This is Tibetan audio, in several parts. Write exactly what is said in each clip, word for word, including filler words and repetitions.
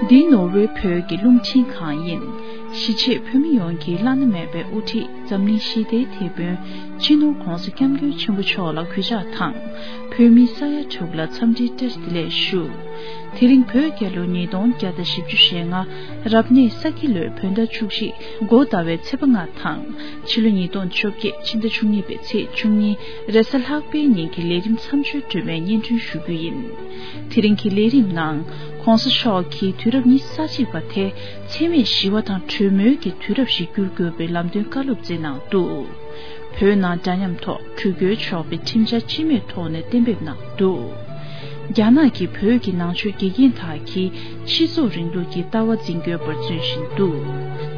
འདི་ནོར་ཝེ་བོད་ཀྱི་རླུང་འཕྲིན་ཁང་ཡིན། གཞིས་བྱེས་བོད་མི་ཡོངས་ཀྱི་བླ་ན་མེད་པའི་དབུ་ཁྲིད་འཛམ་གླིང་ཞི་བདེའི་དེད་དཔོན་སྤྱི་ནོར་༧གོང་ས་༧སྐྱབས་མགོན་ཆེན་པོ་མཆོག་ལ་གུས་ཕྱག་དང་། བོད་མི་ས་ཡ་དྲུག་ལ་འཚམས་འདྲིའི་བཀྲ་ཤིས་བདེ་ལེགས་ཞུ། དེ་རིང་བོད་རྒྱལ་ལོ་ཉིས་སྟོང་བརྒྱ་དང་བཞི་བཅུ་ཞེ་ལྔ། རབ་གནས་ས་ཁྱི་ལོའི་བོད་ཟླ་བཅུ་གཅིག་མགོ་ཟླ་བའི་ཚེས་པ་ལྔ་དང་། ཕྱི་ལོ་ཉིས་སྟོང་བཅོ་བརྒྱད་ཕྱི་ཟླ་བཅུ་གཉིས་པའི་ཚེས་བཅུ་གཉིས་རེས་གཟའ་ལྷག་པའི་ཉིན་གྱི་ལས་རིམ་མཚམས་སྦྱོར་སྒྲོན་མེ་སྙན་སྒྲོན་ཞུ་རྒྱུ་ཡིན། དེ་རིང་གི་ལས་རིམ་ནང་༧གོང་ས་མཆོག་གིས་དུས་རབས་ཉི་ཤུ་རྩ་གཅིག་པ་དེ་འཚེ་མེད་ཞི་བ་དང་གྲོས་མོལ་གྱི་དུས་རབས་ཤིག་འགྱུར་དགོས་པའི་ལམ་སྟོན་བཀའ་སློབ་སྩལ་གནང་འདུག་བོད་ནང་འདྲ་མཉམ་ཐོག་འགྲུལ་སྐྱོད་ཆོག་པའི་ཁྲིམས་འཆར་སྤྱི་མོས་ཐོག་ནས་གཏན་འབེབས་གནང་འདུག་རྒྱ་ནག་གིས་བོད་ཀྱི་ནང་ཆོས་དགེ་རྒན་དག་གིས་སྤྱི་ཚོགས་རིང་ལུགས་ཀྱི་ལྟ་བ་འཛིན་སྐྱོང་བར་བརྩོན་བཞིན་འདུག་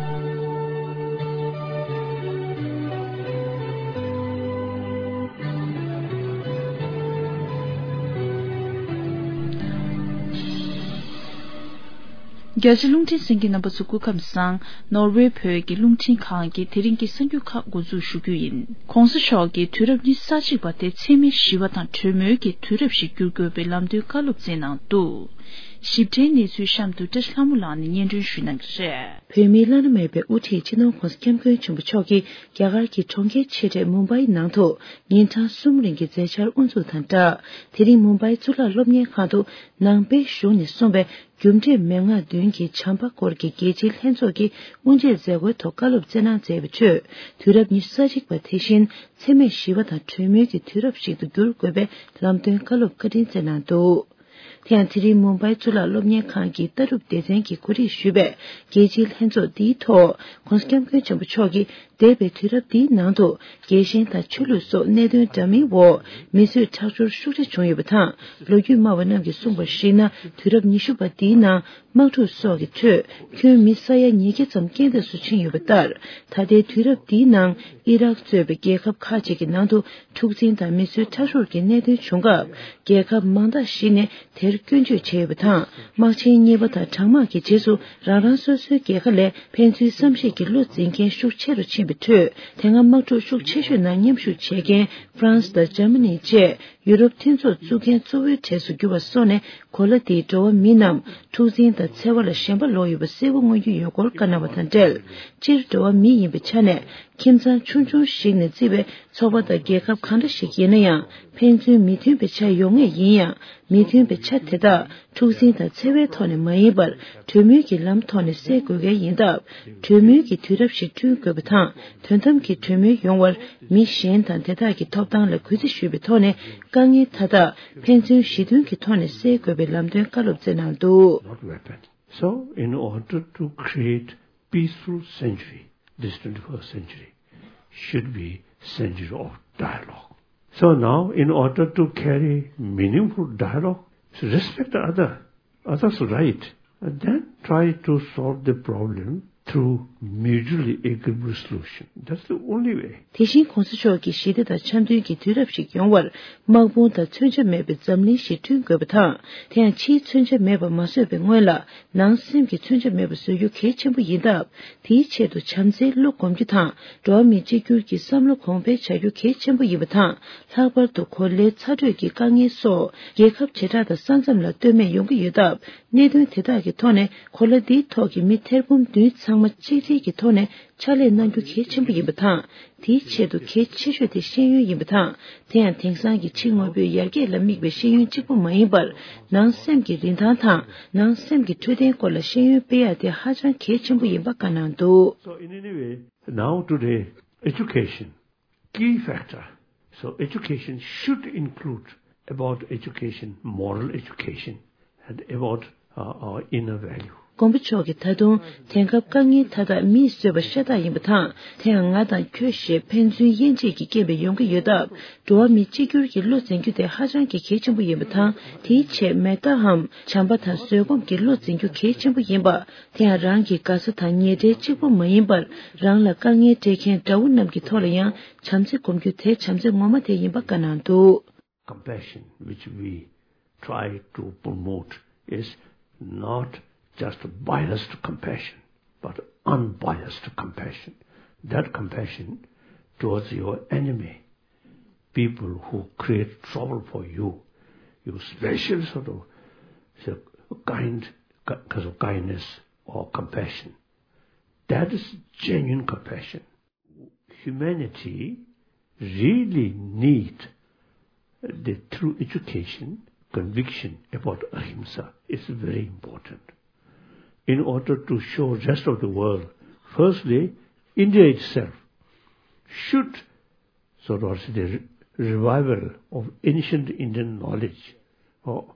རྒྱ་ཆེ་རླུང་འཕྲིན་གསན་མཁན་རྣམ་པ་ཚོ་སྐུ་ཁམས་བཟང་། ནོར་ཝེ་བོད་ཀྱི་རླུང་འཕྲིན་ཁང་གི་དེ་རིང་གི་གསར་འགྱུར་ཁག་འགོ་འཛུགས་ཞུ་རྒྱུ་ཡིན། ྋགོང་ས་མཆོག་གིས་དུས་རབས་ཉི་ཤུ་རྩ་གཅིག་པ་དེ་འཚེ་མེད་ཞི་བ་དང་གྲོས་མོལ་གྱི་དུས་རབས་ཤིག་འགྱུར་དགོས་པའི་ལམ་སྟོན་བཀའ་སློབ་སྩལ་གནང་འདུག་ཞིབ་ཕྲའི་གནས་ཚུལ་གཤམ་དུ་བཀྲ་ཤིས་ལྷ་མོ་ལགས་ནས་སྙན་སྒྲོན་ཞུ་གནང་གི་རེད། བོད་མིའི་བླ་ན་མེད་པའི་དབུ་ཁྲིད་སྤྱི་ནོར་༧གོང་ས་༧སྐྱབས་མགོན་ཆེན་པོ་མཆོག་གིས་རྒྱ་གར་གྱི་གྲོང་ཁྱེར་ཆེ་གྲས་མུམ་བྷའི་ནང་དུ་ཉིན་གྲངས་གསུམ་རིང་གི་མཛད་འཆར་དབུ་འཛུགས་དང་སྦྲགས། དེ་རིང་མུམ་བྷའི་གཙུག་ལག་སློབ་གཉེར་ཁང་དུ་ནང་པའི་གཞུང་ནས་གསུངས་པའི་རྒྱུ་འབྲས་མན་ངག་བདུན་གྱི་བྱམས་པ་སྐོར་གྱི་རྒྱལ་སྤྱིའི་ལྷན་ཚོགས་ཀྱི་དབུ་འབྱེད་མཛད་སྒོའི་ཐོག་བཀའ་སློབ་སྩལ་གནང་མཛད་པའི་ཁྲོད། དུས་རབས་ཉི་ཤུ་རྩ་གཅིག་པ་དེ་བཞིན་འཚེ་མེད་ཞི་བ་དང་གྲོས་མོལ་གྱི་དུས་རབས་ཤིག་ཏུ་འགྱུར་དགོས་པའི་ལམ་སྟོན་བཀའ་སློབ་བཀའ་དྲིན་སྩལ་གནང་འདུག་དེ་ཡང་དེ་རིང་མུམ་བྷའི་གཙུག་ལག་སློབ་གཉེར་ཁང་གི་ལྟ་གྲུབ་སྡེ་ཚན་གྱིས་གོ་སྒྲིག་ཞུས་པའི་རྒྱལ་སྤྱིའི་ལྷན་ཚོགས་འདིའི་ཐོག་༧གོང་ས་༧སྐྱབས་མགོན་ཆེན་པོ་མཆོག་གིས་འདས་པའི་དུས་རབས་འདིའི་ནང་དུ་རྒྱལ་ཞེན་དང་ཆོས་ལུགས་སོགས་གནད་དོན་འདྲ་མིན་འོག་མི་གསོད་ཁྲག་སྦྱོར་ཤུགས་ཆེ་བྱུང་ཡོད་པ་དང་། ལོ་རྒྱུས་སྨྲ་བ་རྣམས་ཀྱིས་གསུངས་པར་གཞིགས་ན། དུས་རབས་ཉི་ཤུ་པ་འདིའི་ནང་དམག་འཁྲུག་སོགས་ཀྱི་ཁྲོད་ཁྱོན་མི་ས་ཡ་ཉིས་བརྒྱ་ཙམ་རྐྱེན་འདས་སུ་ཕྱིན་ཡོད་པ་ལྟར། ད་ལྟའི་དུས་རབས་འདིའི་ནང་ཨི་རག་གཙོས་པའི་རྒྱལ་ཁབ་ཁག་ཅིག་གི་ནང་དུ་འཁྲུག་འཛིང་དང་མི་གསོད་ཁྲག་སྦྱོར་གྱི་གནད་དོན་བྱུང་སྐབས། རྒྱལ་ཁབ་མང་དག་ཞིག་ནས་དེར་སྐྱོན་བརྗོད་བྱས་ཡོད་པ་དང་། དམག་ཆེན་གཉིས་པ་དང་གྲང་དམག་གི་རྗེས་སུ་རང་རང་སོ་སོའི་རྒྱལ་ཁ་ལས་ཕན་ཚུན་བསམ་ཤེས་ཀྱི་བློ་འཛིན་མཁན་ཤུགས་ཆེ་རུ་ཕྱིན་པའི་ཁྲོད། དེ་སྔ་དམག་འཁྲུག་ཤུགས་ཆེ་ཤོས་ནང་མཉམ་ཞུགས་བྱས་མཁན་ཧྥ་རན་སི་དང་འཇར་མ་ནི་བཅས། ཡུ་རོབ་མཐུན་ཚོགས་བཙུགས་མཁན་གཙོ་བོའི་གྲས་སུ་གྱུར་བ་སོགས་ནས། གོ་ལ་འདིའི་འགྲོ་བ་མི་རྣམས་འཁྲུག་འཛིང་དང་འཚེ་བ་ལ་ཞེན་པ་ལོག་ཡོད་པ་གསལ་པོ་མངོན་གྱི་ཡོད་སྐོར་བཀའ་གནང་བ་དང་འབྲེལ། སྤྱིར་འགྲོ་བ་མི་ཡིན་པའི་ཆ་ནས། ཁྱིམ་ཚང་ཆུང་ཆུང་ཞིག་ནས་བརྩིས་པའི་ཚོགས་པ་དང་རྒྱལ་ཁབ་གང་འདྲ་ཞིག་ཡིན་ན་ཡང་། ཕན་ཚུན་མི་མཐུན་པའི་ཆ་ཡོད་ངེས་ཡིན་ཡང་། མི་མཐུན་པའི་ཆ་དེ་དག་འཁྲུག་འཛིང་དང་འཚེ་བའི་ཐོག་ནས་མ་ཡིན་པར། གྲོས་མོལ་གྱི་ལམ་ཐོག་ནས་སེལ་དགོས་གལ་ཡིན་སྟབས། གྲོས་མོལ་གྱི་དུས་རབས་ཤིག་བསྐྲུན་དགོས་པ་དང་། དོན་དམ་གྱི་གྲོས་མོལ་ཡོང་བར། མི་གཞན་དང་དེ་དག་གི་ཐོབ་ཐང་ལ་གུས་བརྩི་ཞུས་པའི་ཐོག་ནས། དཀའ་ངལ་མཐའ་དག་ཕན་ཚུན་ཞི་མཐུན་གྱི་ཐོག་ནས་སེལ་དགོས་པའི་ལམ་སྟོན་བཀའ་སློབ་སྩལ་གནང་འདུག Not weapon. So, in order to create peaceful century, this twenty-first century should be century of dialogue. So now, in order to carry meaningful dialogue, respect the other, other's right, and then try to solve the problem through mutually agreeable solution. That's the only way. དེ་བཞིན་གོང་ས་མཆོག་གིས་ཞི་བདེ་དང་འཆམ་མཐུན་གྱི་དུས་རབས་ཤིག་ཡོང་བར། དམག་དཔུང་དང་མཚོན་ཆ་མེད་པའི་འཛམ་གླིང་ཞིག་བསྐྲུན་དགོས་པ་དང་། དེ་ཡང་ཕྱིའི་མཚོན་ཆ་མེད་པ་མ་བཟོས་པའི་སྔོན་ལ། ནང་སེམས་ཀྱི་མཚོན་ཆ་མེད་པ་བཟོ་རྒྱུ་གལ་ཆེན་པོ་ཡིན་སྟབས། དེའི་ཆེད་དུ་བྱམས་བརྩེའི་བློ་སྒོམ་རྒྱུ་དང་། འགྲོ་བ་མི་གཅིག་གྱུར་གྱི་བསམ་བློ་གོང་འཕེལ་བྱ་རྒྱུ་གལ་ཆེན་པོ་ཡིན་པ་དང་། ལྷག་པར་དུ་གོ་ལའི་ཚ་དྲོད་ཀྱི་དཀའ་ངལ་སོགས་རྒྱལ་ཁབ་བྱེ་བྲག་དང་ས་མཚམས་ལ་ལྟོས་མེད་ཡོང་གི་ཡོད་སྟབས། གནད་དོན་དེ་དག་གི་ཐོག་ནས་གོ་ལ་འདིའི་ཐོག་གི་མི་ཐེར་འབུམ་བདུན་ཚང་མ་གཅིག་སྒྲིལ་གྱི་ཐོག་ནས་ཕྱག་ལས་གནང་རྒྱུ་གལ་ཆེན་པོ་ཡིན་པ་དང་། དེའི་ཆེད་དུ་གལ་ཆེ་ཤོས་དེ་ཤེས་ཡོན་ཡིན་པ་དང་། དེ་ཡང་དེང་སང་གི་ཕྱི་དངོས་པོའི་ཡར་རྒྱས་ལ་དམིགས་པའི་ཤེས་ཡོན་གཅིག་པུ་མ་ཡིན་པར། ནང་སེམས་ཀྱི་རིན་ཐང་དང་། ནང་སེམས་ཀྱི་འཕྲོད་བསྟེན་སྐོར་ལ་ཤེས་ཡོན་སྤེལ་ཡ་དེ་ཧ་ཅང་གལ་ཆེན་པོ་ཡིན་པ་བཀའ་གནང་འདུག So in any way, now today, education, key factor. So education should include about education, moral education, and about uh, our inner value. དགོངས་པ་མཆོག་གིས་ད་དུང་དེང་སྐབས་དཀའ་ངལ་མཐའ་དག་མིས་བཟོས་པ་ཤ་སྟག་ཡིན་པ་དང་། དེ་ཡང་ང་དང་ཁྱོད་ཞེས་ཕན་ཚུན་དབྱེ་འབྱེད་ཀྱི་རྐྱེན་པས་ཡོང་གི་ཡོད་སྟབས། འགྲོ་བ་མི་གཅིག་གྱུར་གྱི་བློ་འཛིན་རྒྱུ་དེ་ཧ་ཅང་གི་གལ་ཆེན་པོ་ཡིན་པ་དང་། དེའི་ཆེད་མེ་ཏཱའམ་བྱམས་པ་དང་བཟོད་སྒོམ་གྱི་བློ་འཛིན་རྒྱུ་གལ་ཆེན་པོ་ཡིན་པ། དེ་ཡང་རང་གི་དགའ་ས་དང་ཉེ་འབྲེལ་གཅིག་པུ་མ་ཡིན་པར། རང་ལ་དཀའ་ངལ་སྤྲད་མཁན་དགྲ་བོ་རྣམས་ཀྱི་ཐོག་ལ་ཡང་བྱམས་བརྩེ་སྒོམ་རྒྱུ་དེ་བྱམས་བརྩེ་ངོ་མ་དེ་ཡིན་པ་བཀའ་གནང་འདུག Compassion which we try to promote is not just biased compassion, but unbiased compassion. That compassion towards your enemy, people who create trouble for you, you special sort of, say, kind ki-, kinds of kindness or compassion. That is genuine compassion. Humanity really need the true education, conviction about ahimsa is very important. In order to show rest of the world, firstly, India itself should sort of the re-, revival of ancient Indian knowledge. Oh,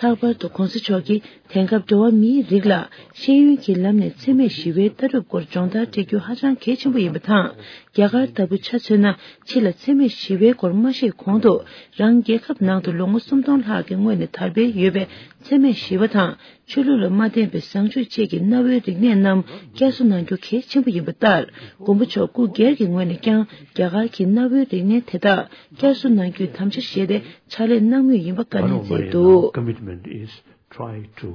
ལྷག་པར་དུ་གོང་ས་མཆོག་གིས་དེང་སྐབས་འགྲོ་བ་མིའི་རིགས་ལ་ཤེས་ཡོན་གྱི་ལམ་ནས་འཚེ་མེད་ཞི་བའི་ལྟ་གྲུབ་སྐོར་སྦྱོང་བརྡར་སྤྲད་རྒྱུ་ཧ་ཅང་གལ་ཆེན་པོ་ཡིན་པ་དང་། རྒྱ་གར་ལྟ་བུ་ཆ་མཚོན་ན་ཕྱི་ལ་འཚེ་མེད་ཞི་བའི་སྐོར་མ་བཤད་གོང་དུ་རང་རྒྱལ་ཁབ་ནང་དུ་ལོ་ངོ་སུམ་སྟོང་ལྷག་གི་སྔོན་ནས་དར་འཕེལ་ཡོད་པའི་འཚེ་མེད་ཞི་བ་དང་། ཆོས་ལུགས་ལ་མ་བརྟེན་པའི་བཟང་སྤྱོད་བཅས་ཀྱི་གནའ་བོའི་རིག་གནས་རྣམས་བསྐྱར་གསོ་གནང་རྒྱུ་གལ་ཆེན་པོ་ཡིན་པ་ལྟར། མགོན་པོ་མཆོག་སྐུ་སྒེར་གྱི་ངོས་ནས་ཀྱང་རྒྱ་གར་གྱི་གནའ་བོའི་རིག་གནས་དེ་དག་བསྐྱར་གསོ་གནང་རྒྱུའི་དམ་བཅའ་བཞེས་ཏེ་ཕྱག་ལས་གནང་མུས་ཡིན་པ་བཀའ་ནན་མཛད་འདུག། One of my, uh, commitment is try to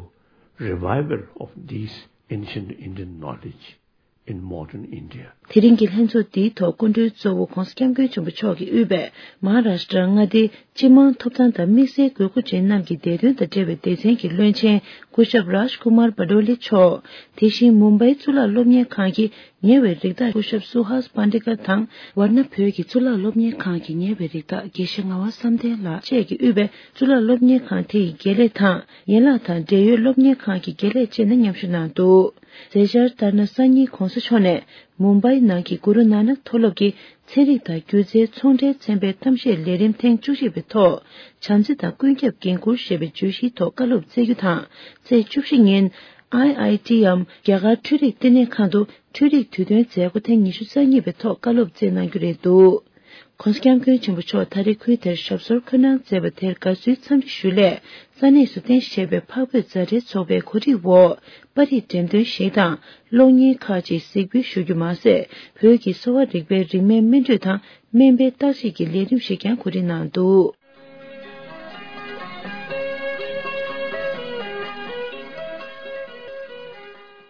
revival of these ancient Indian knowledge in modern India. དེ་རིང་གི་ལྷན་ཚོགས་འདིའི་ཐོག་སྐུ་མགྲོན་གཙོ་བོ་༧གོང་ས་༧སྐྱབས་མགོན་ཆེན་པོ་མཆོག་གིས་དབུས་པའི་མ་ཧཱ་རཱ་ཤི་ཏྲ་མངའ་སྡེའི་སྤྱི་དམངས་ཐོབ་ཐང་དང་དམིགས་བསལ་དགོས་མཁོ་ཅན་རྣམས་ཀྱི་བདེ་དོན་དང་འབྲེལ་བའི་སྡེ་ཚན་གྱི་བློན་ཆེན་སྐུ་ཞབས་རཱཇ་ཀུ་མར་པ་ཏོ་ལི་མཆོག་དེ་བཞིན་མུམ་བྷའི་གཙུག་ལག་སློབ་གཉེར་ཁང་གི་ཉེ་བའི་རིགས་བདག་སྐུ་ཞབས་སུ་ཧཱས་པཱན་ཌི་ཀ་དང་། ཝར་ན་བོད་ཀྱི་གཙུག་ལག་སློབ་གཉེར་ཁང་གི་ཉེ་བའི་རིགས་བདག་དགེ་བཤེས་ངག་དབང་བསམ་གཏན་ལགས་བཅས་ཀྱིས་དབུས་པའི་གཙུག་ལག་སློབ་གཉེར་ཁང་དེ་ཡི་དགེ་ལས་དང་ཡན་ལག་དང་འབྲེལ་ཡོད་སློབ་གཉེར་ཁང་གི་དགེ་ལས་བཅས་ནས་མཉམ་ཞུགས་གནང་འདུག། མཛད་འཆར་ལྟར་ན། སང་ཉིན་གོང་ས་མཆོག་ནས་མུམ་བྷའི་ནང་གི་གུ་རུ་ནཱ་ནག་མཐོ་སློབ་ཀྱི་ཚན་རིག་དང་སྒྱུ་རྩལ་ཚོང་འབྲེལ་ཚན་པའི་གཏམ་བཤད་ལས་རིམ་ཐེངས་བཅུ་གཅིག་པའི་ཐོག་བྱམས་བརྩེ་དང་ཀུན་ཁྱབ་འགན་འཁུར་ཞེས་པའི་བརྗོད་གཞིའི་ཐོག་བཀའ་སློབ་སྩལ་རྒྱུ་དང་། ཚེས་བཅུ་བཞི་ཉིན་ཨའི་ཨའི་ཊི་འམ་རྒྱ་གར་འཕྲུལ་རིག་བསྟི་གནས་ཁང་དུ་འཕྲུལ་རིག་དུས་སྟོན་མཛད་སྒོ་ཐེངས་ཉི་ཤུ་རྩ་གཉིས་པའི་ཐོག་བཀའ་སློབ་སྩལ་གནང་རྒྱུ་རེད་འདུག། ྋགོང་ས་ྋསྐྱབས་མགོན་ཆེན་པོ་མཆོག་ད་རེས་ཁུལ་དེར་ཞབས་སོར་འཁོད་གནང་མཛད་པ་དེར་དགའ་བསུའི་འཚམས་འདྲི་ཞུ་སླད། ས་གནས་སུ་རྟེན་གཞི་བྱས་པའི་འཕགས་བོད་མཛའ་འབྲེལ་ཚོགས་པའི་གོ་སྒྲིག་འོག་པར་རིས་འགྲེམས་སྟོན་ཞིག་དང་གློག་བརྙན་ཁག་ཅིག་གཟིགས་འབུལ་ཞུ་རྒྱུ་མ་ཟད། བོད་ཀྱི་གསོ་བ་རིག་པའི་རིན་མེད་སྨིན་གྲོས་དང་སྨན་པའི་བརྟག་དཔྱད་ཀྱི་ལས་རིམ་ཞིག་ཀྱང་གོ་སྒྲིག་གནང་འདུག།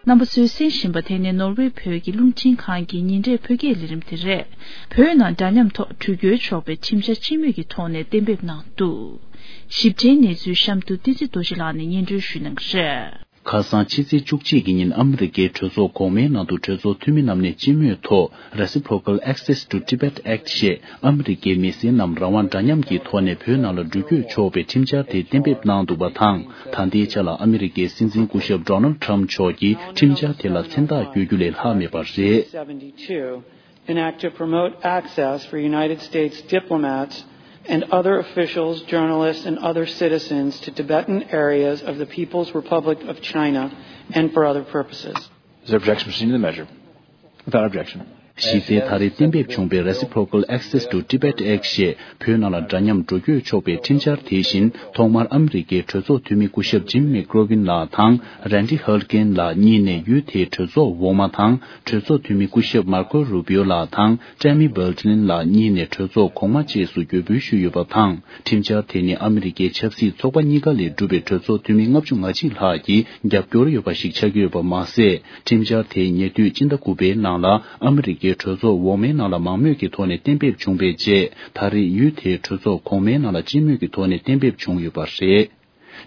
རྣམ་པ་ཚོས་གསན་བཞིན་པ་དེ་ནི་ནོར་ཝེ་བོད་ཀྱི་རླུང་འཕྲིན་ཁང་གི་ཉིན་རེའི་བོད་སྐད་ལས་རིམ་དེ་རེད། བོད་ནང་འདྲ་མཉམ་ཐོག་འགྲུལ་སྐྱོད་ཆོག་པའི་ཁྲིམས་འཆར་སྤྱི་མོས་ཀྱི་ཐོག་ནས་གཏན་འབེབས་གནང་འདུག། ཞིབ་ཕྲའི་གནས་ཚུལ་གཤམ་དུ་བསྟན་འཛིན་རྡོ་རྗེ་ལགས་ནས་སྙན་སྒྲོན་ཞུ་གནང་གི་རེད། ཁ་སང་ཕྱི་ཚེས་བཅུ་གཅིག་གི་ཉིན་ཨ་མི་རི་ཀའི་གྲོས་ཚོགས་གོང་མའི་ནང་དུ་གྲོས་ཚོགས་འཐུས་མི་རྣམས་ནས་སྤྱི་མོས་ཐོག་Reciprocal Access to Tibet Act ཞེས་ཨ་མི་རི་ཀའི་མི་སེར་རྣམས་རང་དབང་འདྲ་མཉམ་གྱི་ཐོག་ནས་བོད་ནང་ལ་འགྲུལ་སྐྱོད་ཆོག་པའི་ཁྲིམས་འཆར་དེ་གཏན་འབེབས་གནང་འདུག་པ་དང་། ད་ལྟའི་ཆ་ལ་ཨ་མི་རི་ཀའི་སྲིད་འཛིན་སྐུ་ཞབས་Donald Trump མཆོག་གིས་ཁྲིམས་འཆར་དེ་ལ་མཚན་རྟགས་བཀོད་རྒྱུ་ལས་ལྷག་མེད་པ་རེད། Seventy-two, an act to promote access for United States diplomats and other officials, journalists, and other citizens to Tibetan areas of the People's Republic of China and for other purposes. Is there objection to the measure? Without objection. གཞི་རྩའི་ད་རེས་གཏན་འབེབས་བྱུང་པའི་Reciprocal Access to Tibet Act ཞེས་བོད་ནང་ལ་འདྲ་མཉམ་འགྲོ་སྐྱོད་ཆོག་པའི་ཁྲིམས་འཆར་དེ་བཞིན། ཐོག་མར་ཨ་མི་རི་ཀའི་གྲོས་ཚོགས་འཐུས་མི་སྐུ་ཞབས་Jim McGovern ལགས་དང་Randy Huligan ལགས་གཉིས་ནས་ཡུལ་དེའི་གྲོས་ཚོགས་འོག་མ་དང་། གྲོས་ཚོགས་འཐུས་མི་སྐུ་ཞབས་Marco Rubio ལགས་དང་Tammy Belton ལགས་གཉིས་ནས་གྲོས་ཚོགས་གོང་མ་བཅས་སུ་བརྒྱུད་འབུལ་ཞུས་ཡོད་པ་དང་། ཁྲིམས་འཆར་དེ་ནི་ཨ་མི་རི་ཀའི་ཆབ་སྲིད་ཚོགས་པ་གཉིས་ཀ་ལས་གྲུབ་པའི་གྲོས་ཚོགས་འཐུས་མི་ལྔ་བཅུ་ང་གཅིག་ལྷག་གིས་རྒྱབ་སྐྱོར་ཡོད་པ་ཞིག་ཆགས་ཀྱི་ཡོད་པ་མ་ཟད། ཁྲིམས་འཆར་དེ་ཉེ་དུས་སྤྱི་ཟླ་དགུ་པའི་ནང་ལ་ཨ་མི་རི་ཀའི་གྲོས་ཚོགས་འོག་མའི་ནང་ལ་མང་མོས་ཀྱི་ཐོག་ནས་གཏན་འབེབས་བྱུང་བའི་རྗེས། ད་རེས་ཡུལ་དེའི་གྲོས་ཚོགས་གོང་མའི་ནང་ལ་སྤྱི་མོས་ཀྱི་ཐོག་ནས་གཏན་འབེབས་བྱུང་ཡོད་པ་རེད།